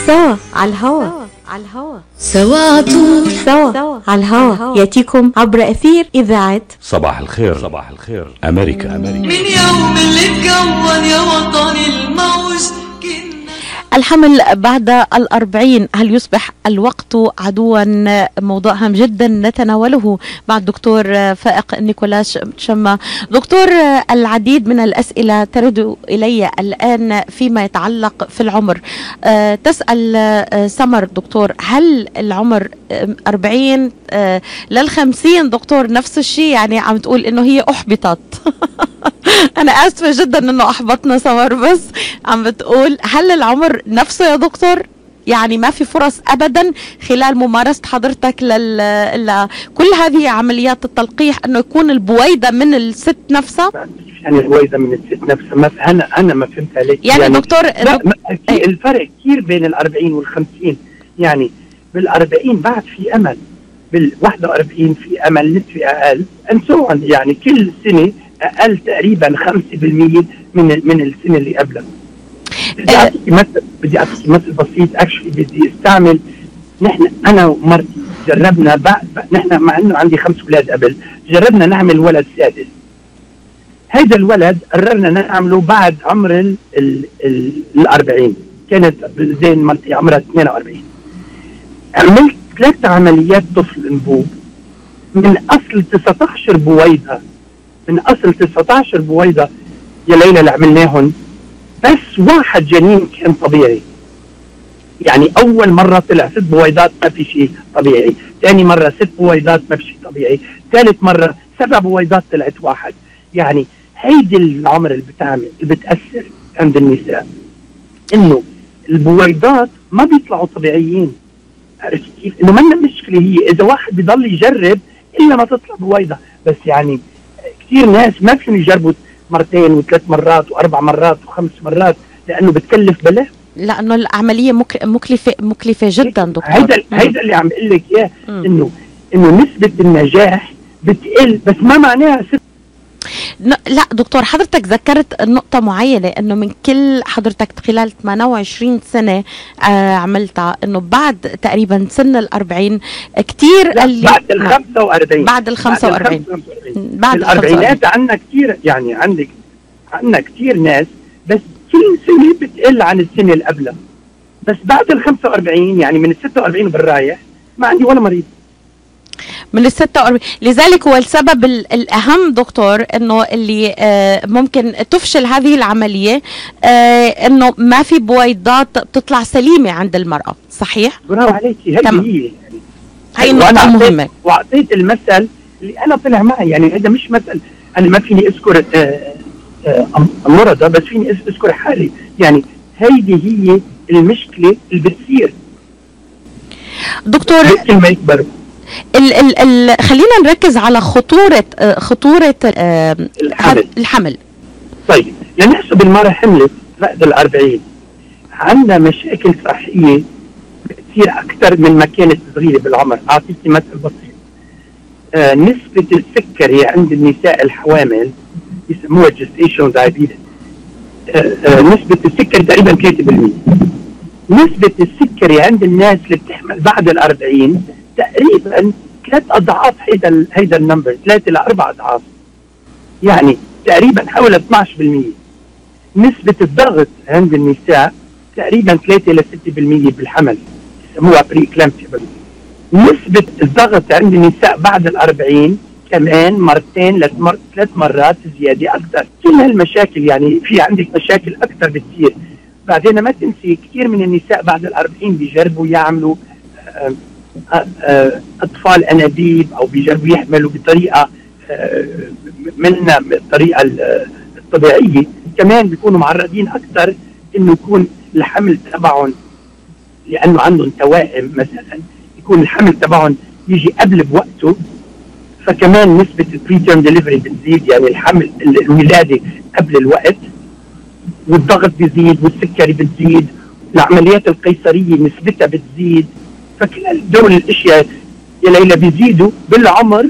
سوا على الهواء سوا عطول سوا على الهواء يأتيكم عبر أثير إذاعة صباح الخير أمريكا. من يوم اللي اتكون يا وطني الموج كنا الحمل بعد 40. هل يصبح الوقت عدوا؟ موضوع هام جدا نتناوله مع الدكتور فائق نيكولاس شما. دكتور، العديد من الأسئلة ترد إلي الآن فيما يتعلق في العمر. تسأل سمر دكتور، هل العمر 40 لل50 دكتور نفس الشيء؟ يعني عم تقول إنه هي أحبطت. أنا آسفة جدا إنه أحبطنا سمر، بس عم بتقول هل العمر نفسه يا دكتور؟ يعني ما في فرص أبدا خلال ممارسة حضرتك كل هذه عمليات التلقيح أنه يكون البويضة من الست نفسها؟ يعني البويضة من الست نفسها، ما أنا ما فهمت عليك. يعني دكتور في الفرق كثير بين 40 وال50. يعني بال40 بعد في أمل، بال41 في أمل نسبي أقل أنسوعا، يعني كل سنة أقل تقريبا 5% من السنة اللي قبلها. بدي أعطيك مثل بسيط. اكشلي بدي استعمل، أنا ومرتي جربنا نحن مع إنه عندي 5 أولاد قبل، جربنا نعمل ولد سادس. هيدا الولد قررنا نعمله بعد عمر 40. كانت زين مرتي عمرها 42. عملت 3 عمليات طفل انبوب من أصل 19 بويضة، يا ليلى اللي عملناهن، بس 1 جنين كان طبيعي. يعني أول مرة طلع 6 بويضات ما في شيء طبيعي، ثاني مرة 6 بويضات ما في شيء طبيعي، ثالث مرة 7 بويضات طلعت 1. يعني هيدي العمر اللي بتأثر عند النساء، إنه البويضات ما بيطلعوا طبيعيين. عرفت كيف؟ إنه منا مشكلة هي إذا واحد بيضل يجرب إلا ما تطلع بويضة. بس يعني كثير ناس ما فيهم يجربوا 2 و3 مرات و4 مرات و5 مرات، لأنه بتكلف بلا، لأنه العملية مكلفة جدا دكتور. هيدا اللي عم اقول لك اياه، إنه نسبة النجاح بتقل، بس ما معناها لا دكتور، حضرتك ذكرت نقطة معينة، انه من كل حضرتك خلال 28 سنة عملتها، انه بعد تقريبا سن 40 كتير اللي بعد ال 45 بعد ال 45 بعد الأربعينات عندنا كتير، يعني عندنا كتير ناس، بس كل سنة بتقل عن السنة اللي قبلها. بس بعد ال 45 يعني من ال 46 بالرايح ما عندي ولا مريض من ال 46. لذلك هو السبب الأهم دكتور انه اللي ممكن تفشل هذه العملية، انه ما في بويضات بتطلع سليمة عند المرأة. صحيح؟ برافو عليكي. هي النقطة مهمة. وأعطيت المثل اللي أنا طلع معي، يعني هذا مش مثل أنا ما فيني أذكر مرضى، بس فيني أذكر حالي. يعني هيدي هي المشكلة اللي بتصير دكتور. ما يكبر خلينا نركز على خطورة الحمل. طيب لنحسب المرأة حملت بعد 40 عندنا مشاكل صحية كثير أكثر من ما كانت صغيرة بالعمر. أعطيك مثل بسيط. نسبة السكري عند النساء الحوامل يسموها gestation diabetes. نسبة السكري تقريبا 3%. نسبة السكري عند الناس اللي بتحمل بعد 40 تقريبا 3 أضعاف هيدا النمبر، 3 ل 4 أضعاف، يعني تقريبا حول 12%. نسبة الضغط عند النساء تقريبا 3 ل 6% بالحمل، يسموها بري إكلامسيا. نسبة الضغط عند النساء بعد ال40 كمان 2 ل 3 مرات زيادة أكثر. كل هالمشاكل يعني في عندك مشاكل أكثر بتصير. بعدين ما تنسي كثير من النساء بعد ال40 بيجربوا يعملوا أطفال أنابيب أو بيجربوا يحملوا بطريقة منا بالطريقة الطبيعية، كمان بيكونوا معرضين أكثر إنه يكون الحمل تبعهم، لأنه عندهم توائم مثلا، يكون الحمل تبعهم يجي قبل بوقته، فكمان نسبة البريتيرم ديليفري بتزيد، يعني الحمل الولادة قبل الوقت، والضغط بيزيد والسكري بتزيد، العمليات القيصرية نسبتها بتزيد. فكل دول الاشياء يا ليلى بيزيدوا بالعمر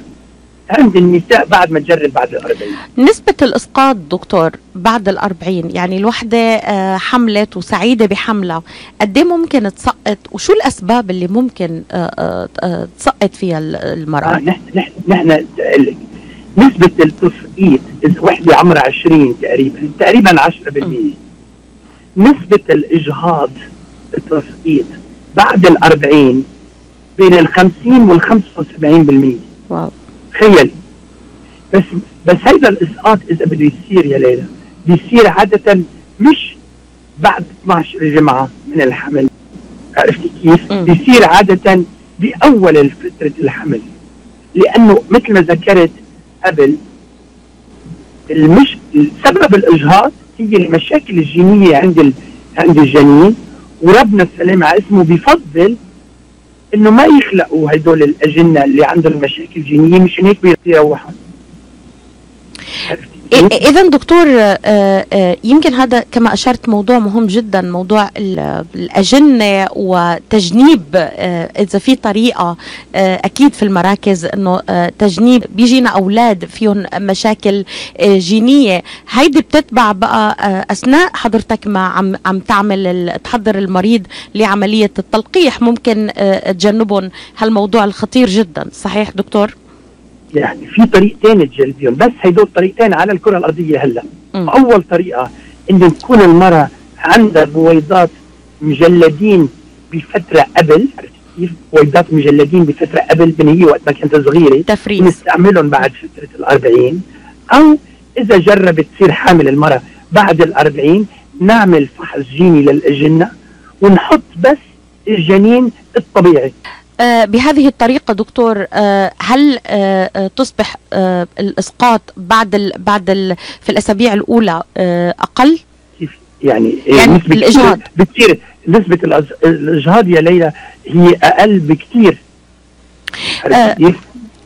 عند النساء بعد ما تجرب بعد ال40. نسبة الإسقاط دكتور بعد ال40، يعني الوحدة حملت وسعيدة بحملها، قد ايه ممكن تسقط وشو الأسباب اللي ممكن تسقط فيها المرأة؟ نحن نسبة التسقيط إذا وحدة عمرها 20 تقريبا 10%. نسبة الإجهاض التسقيط بعد ال40 بين 50 وال75%. واو. تخيل. بس هيدا الإسقاط إذا بده يصير يا ليلى بيصير عادة مش بعد 12 جمعة من الحمل، عرفتي كيف؟ بيصير عادة بأول فترة الحمل، لأنه مثل ما ذكرت قبل سبب الإجهاض هي المشاكل الجينية عند الجنين، وربنا السلام على اسمه بيفضل انه ما يخلقوا هدول الاجنه اللي عندهم مشاكل جينيه، مشان هيك بيروحوا. إذا دكتور يمكن هذا كما أشرت موضوع مهم جدا، موضوع الأجنة وتجنيب. إذا في طريقة أكيد في المراكز إنه تجنيب بيجينا أولاد فيهم مشاكل جينية، هيدي بتتبع بقى أثناء حضرتك ما عم تحضر المريض لعملية التلقيح، ممكن تجنبهم هالموضوع الخطير جدا. صحيح دكتور؟ يعني في طريقتين تجلبيهم، بس هيدول طريقتين على الكرة الأرضية هلا. أول طريقة إنه تكون المرأة عندها بويضات مجلدين بفترة قبل، كيف؟ بويضات مجلدين بفترة قبل من هي وقت ما كانت صغيرة، تفريز نستعملهم بعد فترة ال40، أو إذا جربت تصير حامل المرأة بعد ال40 نعمل فحص جيني للأجنة ونحط بس الجنين الطبيعي. بهذه الطريقة دكتور هل تصبح الإسقاط بعد في الأسابيع الأولى أقل؟ يعني نسبة الإجهاض بتصير نسبة الإجهاض يا ليلى هي أقل بكتير. يعني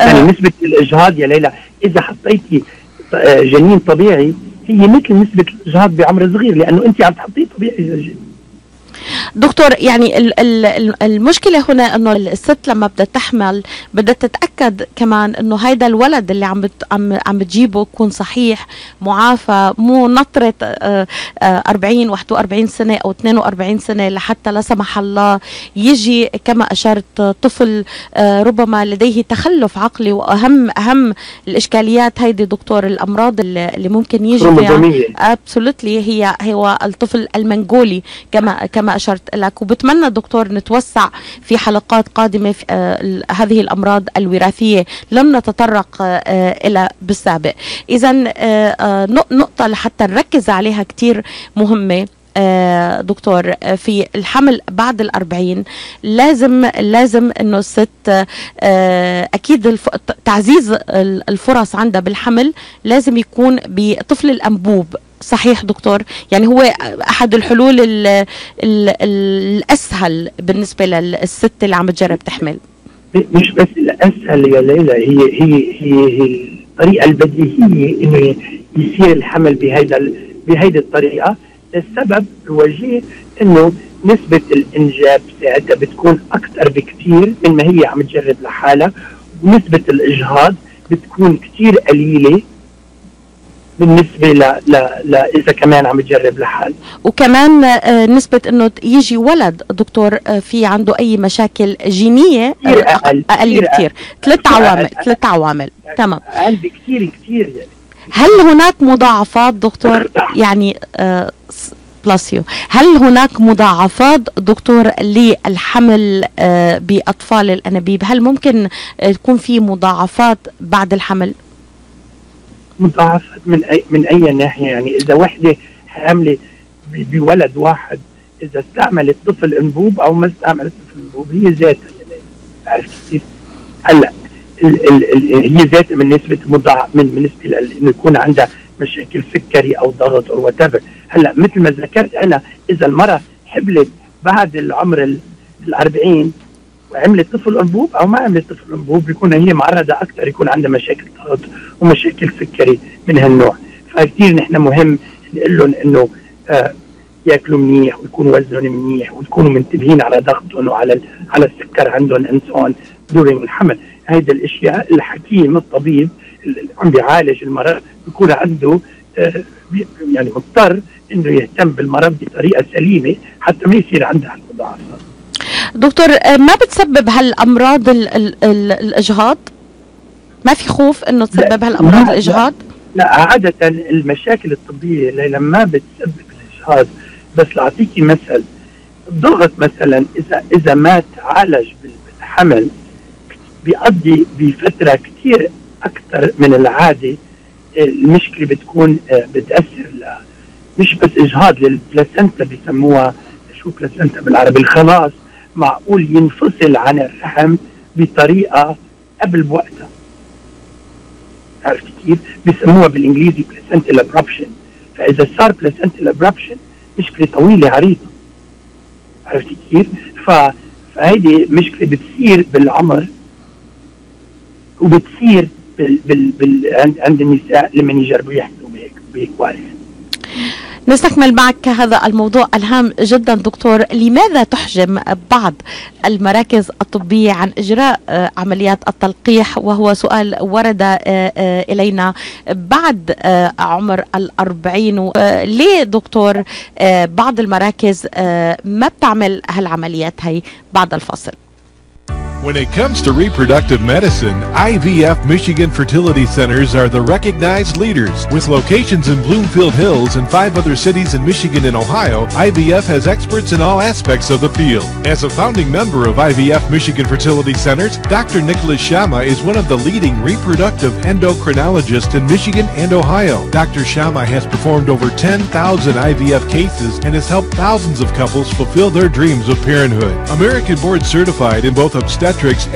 نسبة الإجهاض يا ليلى إذا حطيتي جنين طبيعي هي مثل نسبة الإجهاض بعمر صغير، لأنه أنت عم تحطيه طبيعي. دكتور يعني المشكلة هنا انه الست لما بدها تحمل بدها تتأكد كمان انه هيدا الولد اللي عم بتجيبه يكون صحيح معافى، مو نطرة 40 41 سنة او 42 سنة لحتى لا سمح الله يجي كما اشرت طفل ربما لديه تخلف عقلي. واهم الاشكاليات هيدي دكتور الامراض اللي ممكن يجي فيها ابسولوتلي هو الطفل المنغولي كما أشرت لك. وبتمنى دكتور نتوسع في حلقات قادمة في هذه الأمراض الوراثية لم نتطرق إلى بالسابق. إذا نقطة لحتى نركز عليها كتير مهمة دكتور في الحمل بعد ال40 لازم انه الست اكيد تعزيز الفرص عندها بالحمل لازم يكون بطفل الانبوب. صحيح دكتور؟ يعني هو احد الحلول الاسهل بالنسبه للست اللي عم تجرب تحمل. مش بس الاسهل يا ليلى، هي الطريقه البديهيه انه يصير الحمل بهيدي الطريقه. السبب الوجيه انه نسبة الانجاب ساعتها بتكون اكثر بكثير من ما هي عم تجرب لحالها، ونسبة الاجهاض بتكون كثير قليلة بالنسبة إذا كمان عم تجرب لحال. وكمان نسبة انه يجي ولد دكتور في عنده اي مشاكل جينية اقل كتير. ثلاث عوامل. تمام. اقل بكتير يعني. هل هناك مضاعفات دكتور يعني بلاسيو، هل هناك مضاعفات دكتور للحمل بأطفال الأنابيب؟ هل ممكن تكون في مضاعفات بعد الحمل؟ مضاعفات من أي ناحية؟ يعني إذا وحدة حاملة بولد واحد، إذا استعملت طفل أنبوب أو ما استعملت طفل أنبوب، هي ذاتها يعني. عرفت كيف؟ هلا هي ذاتها من نسبة مضاعف من نسبة إنه يكون عندها مشاكل سكري أو ضغط أو whatever. هلا مثل ما ذكرت أنا، إذا المرأة حبلت بعد العمر 40 وعملت طفل أنبوب أو ما عملت طفل أنبوب، بيكون هي معرضة أكثر يكون عندها مشاكل ضغط ومشاكل سكري من هالنوع. فكتير نحن مهم نقول لهم إنه ياكلوا منيح ويكونوا وزنهم منيح ويكونوا منتبهين على ضغطهم وعلى السكر عندهم انسون دورين الحمل. هيدا الاشياء الحكيم الطبيب اللي عم بيعالج المرض بيكون عنده يعني مضطر انه يهتم بالمرض بطريقه سليمه حتى ما يصير عندها المضاعفات. دكتور، ما بتسبب هالامراض الاجهاض؟ ما في خوف انه تسبب هالامراض الاجهاض؟ لا عاده المشاكل الطبيه لما بتسبب الاجهاض، بس لاعطيكي مثل، الضغط مثلا اذا ما تعالج بالحمل بيقضي بفتره كثير اكثر من العاده. المشكله بتكون بتاثر مش بس اجهاض للبلاسنتا، بيسموها شو بلاسنتا بالعربي، الخلاص معقول ينفصل عن الرحم بطريقه قبل بوقتها. عرفت كيف؟ بيسموها بالانجليزي بلاسنتال ابربشن. فاذا صار بلاسنتال ابربشن مشكله طويله عريضه. عرفت كيف؟ فهيدي مشكله بتصير بالعمر وبتصير عند النساء لما يجربوا يحملوا بهيك وارث. نستكمل معك هذا الموضوع الهام جدا دكتور. لماذا تحجم بعض المراكز الطبية عن إجراء عمليات التلقيح، وهو سؤال ورد إلينا بعد عمر 40؟ ليه دكتور بعض المراكز ما بتعمل هالعمليات هاي بعد الفصل؟ When it comes to reproductive medicine, IVF Michigan Fertility Centers are the recognized leaders. With locations in Bloomfield Hills and 5 other cities in Michigan and Ohio, IVF has experts in all aspects of the field. As a founding member of IVF Michigan Fertility Centers, Dr. Nicholas Shama is one of the leading reproductive endocrinologists in Michigan and Ohio. Dr. Shama has performed over 10,000 IVF cases and has helped thousands of couples fulfill their dreams of parenthood. American board certified in both obstetrics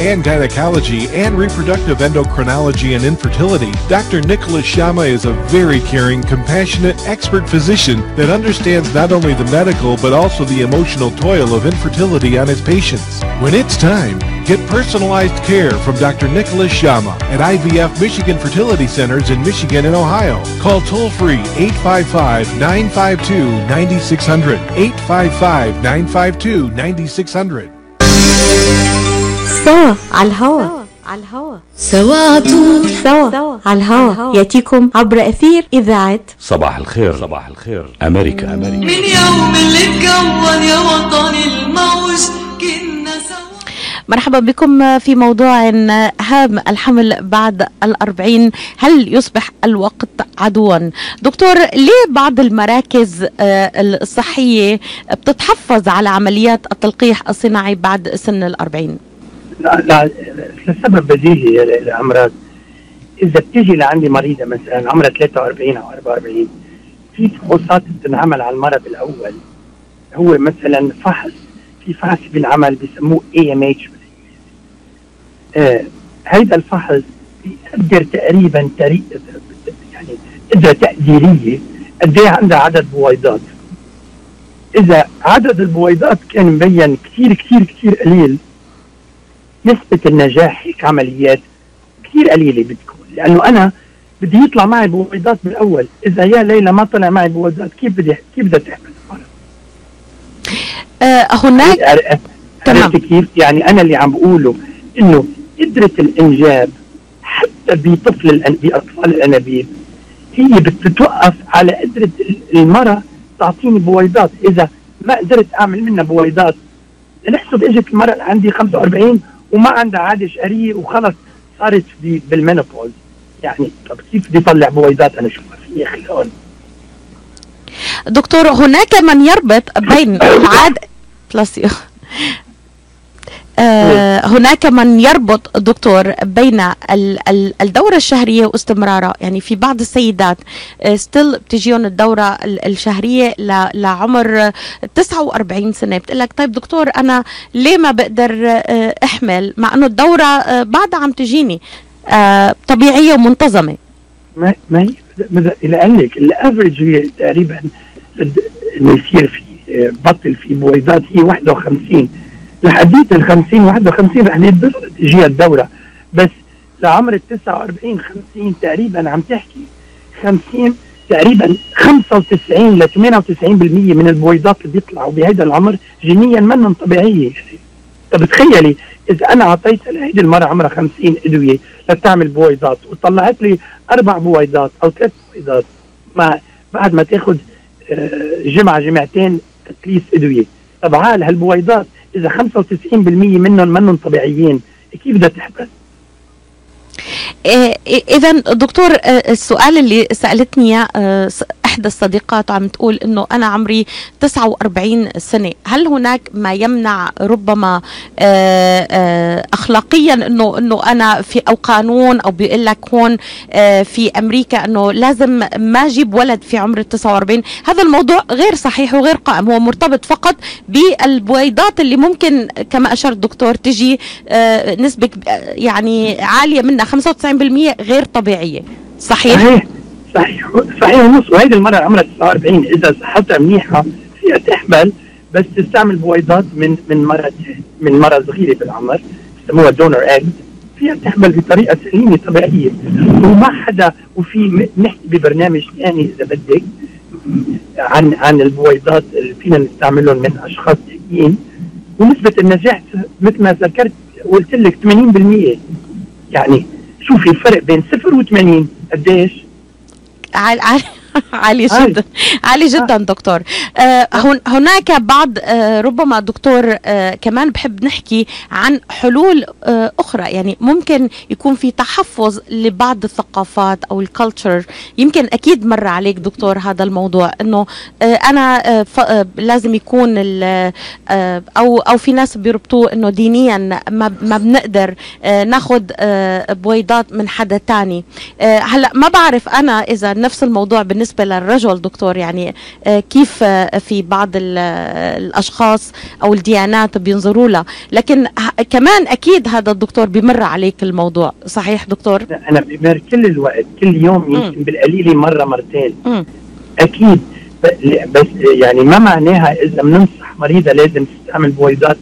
and gynecology and reproductive endocrinology and infertility, Dr. Nicholas Shama is a very caring, compassionate, expert physician that understands not only the medical but also the emotional toil of infertility on his patients. When it's time, get personalized care from Dr. Nicholas Shama at IVF Michigan Fertility Centers in Michigan and Ohio. Call toll-free 855-952-9600, 855-952-9600. سوا على الهوا، سوا عطول، سوا على الهوا، ياتيكم عبر أثير إذاعة صباح الخير أمريكا. من يوم اللي اتكون يا وطن الموج كنا سوا. مرحبا بكم في موضوع هام، الحمل بعد 40. هل يصبح الوقت عدوا؟ دكتور، ليه بعض المراكز الصحية بتتحفظ على عمليات التلقيح الصناعي بعد سن 40؟ لا لسبب بديهي للأمراض. إذا بتيجي لعندي مريضة مثلا عمرها 43 أو 44، في فحوصات بتنعمل على المرض الأول. هو مثلا في فحص بينعمل بيسموه AMH. هيدا الفحص بيقدر تقريبا يعني قدرة تقديرية قد ايه عندها عدد بويضات. إذا عدد البويضات كان مبين كتير كتير كتير قليل، نسبة النجاح هيك عمليات كثير قليلة بتكون، لأنه أنا بدي يطلع معي بويضات بالأول. إذا يا ليلى ما طلع معي بويضات كيف بدها تحمل المرض؟ هناك تمام. كيف يعني أنا اللي عم بقوله إنه قدرة الإنجاب حتى بأطفال الأنابيب هي بتتوقف على قدرة المرأة تعطيني بويضات. إذا ما قدرت أعمل منها بويضات، نحسب إجت المرأة اللي عندي 45 وما عندها عادة شهرية وخلص صارت بالمينوبوز، يعني طب كيف بدي أطلع بويضات أنا شو ما في خلقهم؟ دكتور، هناك من يربط بين العادة هناك من يربط دكتور بين الدورة الشهرية واستمرارها. يعني في بعض السيدات ستيل بتجيهم الدورة الشهرية لعمر 49 سنة، بتقلك طيب دكتور أنا ليه ما بقدر أحمل مع أنه الدورة بعدها عم تجيني طبيعية ومنتظمة؟ ما هي لأنك الأفريج هي تقريبا إنه يصير في بطل في بويضات هي 51 لحديت 50 51 رح تجيها الدورة، بس لعمر 49 50 تقريبا عم تحكي 50 تقريبا 95 ل 98% من البويضات اللي بيطلعوا بهذا العمر جينيا منهم طبيعية. طب تخيلي إذا أنا أعطيتها لهيدي المرة عمرها 50 أدوية لتعمل بويضات وطلعت لي 4 بويضات أو 3 بويضات بعد ما تاخد جمعة جمعتين تكليس أدوية، طب عال هالبويضات إذا 95% منهم طبيعيين كيف بدها تحبس؟ إذا دكتور، السؤال اللي سألتني إحدى الصديقات عم تقول إنه أنا عمري 49 سنة، هل هناك ما يمنع ربما أخلاقيا إنه أنا في أو قانون أو بيقول لك هون في أمريكا إنه لازم ما أجيب ولد في عمر 49؟ هذا الموضوع غير صحيح وغير قائم، هو مرتبط فقط بالبويضات اللي ممكن كما أشار الدكتور تجي نسبة يعني عالية منها 95% غير طبيعية. صحيح ونص. وهيدي المرة عمرها 49 إذا صحتها منيحة فيها تحمل، بس تستعمل بويضات من مرة صغيرة بالعمر بسموها دونر ايج، فيها تحمل بطريقة سليمة طبيعية وما حدا. وفي نحكي ببرنامج ثاني إذا بدك عن البويضات اللي فينا نستعملهم من أشخاص ثانيين، ونسبة النجاح مثل ما ذكرت قلت لك 80%. يعني شوفي الفرق بين 0 و 80 قديش؟ عالي جدا، عالي جدا دكتور. هناك بعض ربما دكتور كمان بحب نحكي عن حلول أخرى. يعني ممكن يكون في تحفظ لبعض الثقافات أو الكالتشر، يمكن أكيد مر عليك دكتور هذا الموضوع إنه أنا لازم يكون أو في ناس بيربطوه إنه دينيا ما بنقدر ناخد بويضات من حدا تاني. هلأ ما بعرف أنا إذا نفس الموضوع بالنسبة للرجل دكتور، يعني كيف في بعض الأشخاص أو الديانات بينظروا لها، لكن كمان أكيد هذا الدكتور بيمر عليك الموضوع. صحيح دكتور؟ أنا بمر كل الوقت، كل يوم يمكن بالقليل مرة مرتين أكيد. بس يعني ما معناها إذا بننصح مريضة لازم تستعمل بويضات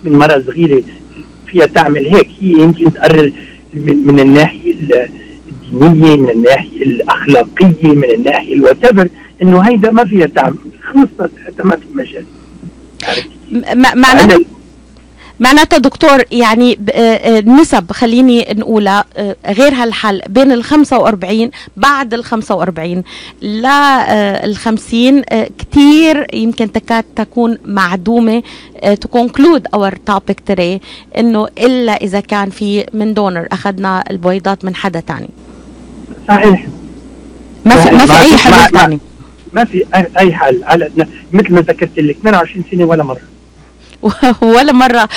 من مرة صغيرة فيها تعمل هيك. هي يمكن تقرر من الناحية الدينية، من الناحية الأخلاقية، من الناحية الواتيفر إنه هيدا ما فيها تعمل، خلصت حتى ما في مجال. معناتها دكتور يعني نسب خليني نقولها غير هالحل بين 45 بعد 45 ل 50 كتير يمكن تكاد تكون معدومة. to conclude our topic today إنه إلا إذا كان في من دونر أخذنا البويضات من حدا تاني. صحيح. ما في أي حل تاني. ما في أي حل. على مثل ما ذكرت لك 22 سنة ولا مرة. ولا مرة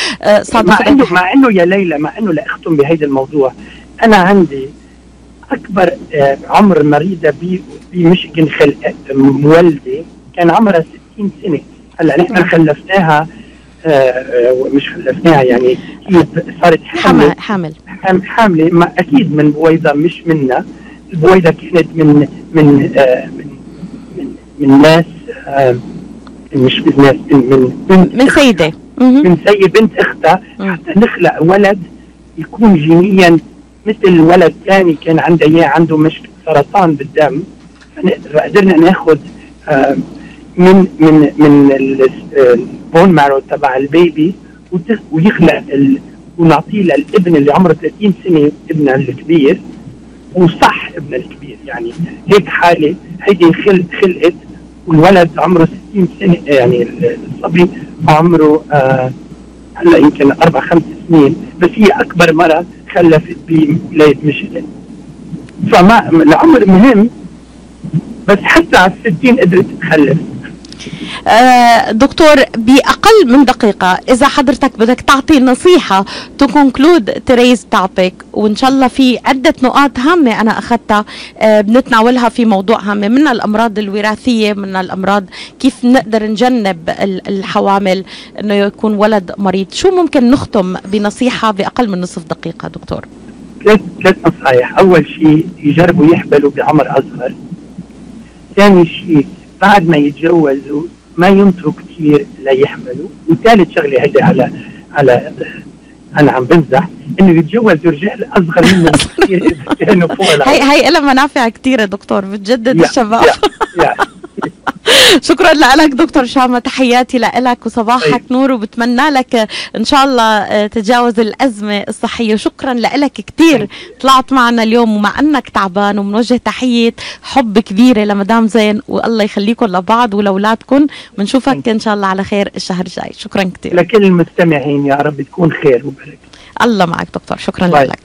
صادفت. مع إنه يا ليلى، مع إنه لأختم بهيدا الموضوع، أنا عندي أكبر عمر مريضة بميشيغان مولدة كان عمرها 60 سنة. هلا نحن خلفناها، مش خلفناها يعني هي صارت حاملة ما أكيد من بويضة مش منا. البويضة كانت من ناس، مش ناس من سيدة من سيدة بنت اختها، حتى نخلق ولد يكون جينيا مثل ولد ثاني كان عنده اياه، عنده مشكلة سرطان بالدم. فقدرنا ناخد من البون مارو تبع البيبي ويخلق ونعطيه للابن اللي عمره 30 سنة، ابننا الكبير، وصح ابن الكبير. يعني هيك حالة هيدي خلقت والولد عمره 60 سنة، يعني الصبي عمره هلا يمكن 4-5 سنين، بس هي أكبر مرة خلفت بولاية ميشيغان. فما العمر مهم، بس حتى على 60 قدرت تخلف. دكتور، بأقل من دقيقة إذا حضرتك بدك تعطي نصيحة to conclude today's topic، وإن شاء الله في عدة نقاط هامة أنا أخذتها بنتناولها في موضوع هامة، من الأمراض الوراثية، من الأمراض كيف نقدر نجنب الحوامل أنه يكون ولد مريض، شو ممكن نختم بنصيحة بأقل من نصف دقيقة دكتور؟ 3 نصايح. أول شيء يجربوا يحبلوا بعمر أصغر. ثاني شيء بعد ما يتجوزوا ما ينطروا كثير ليحملوا. وثالث شغله هيدي على انا عم بمزح، انه يتجوزوا رجال اصغر منهم كثير كانوا فوق. هي لها منافع كثيره دكتور، بتجدد الشباب. شكرا لك دكتور شامة، تحياتي لك وصباحك نور، وبتمنى لك ان شاء الله تتجاوز الازمه الصحيه. شكرا لك كثير، طلعت معنا اليوم ومع انك تعبان، ومنوجه تحيه حب كبيره لمدام زين، والله يخليكم لبعض ولاولادكم. بنشوفك ان شاء الله على خير الشهر الجاي. شكرا كثير لكل المستمعين، يا رب تكون خير وبركه. الله معك دكتور، شكرا لك.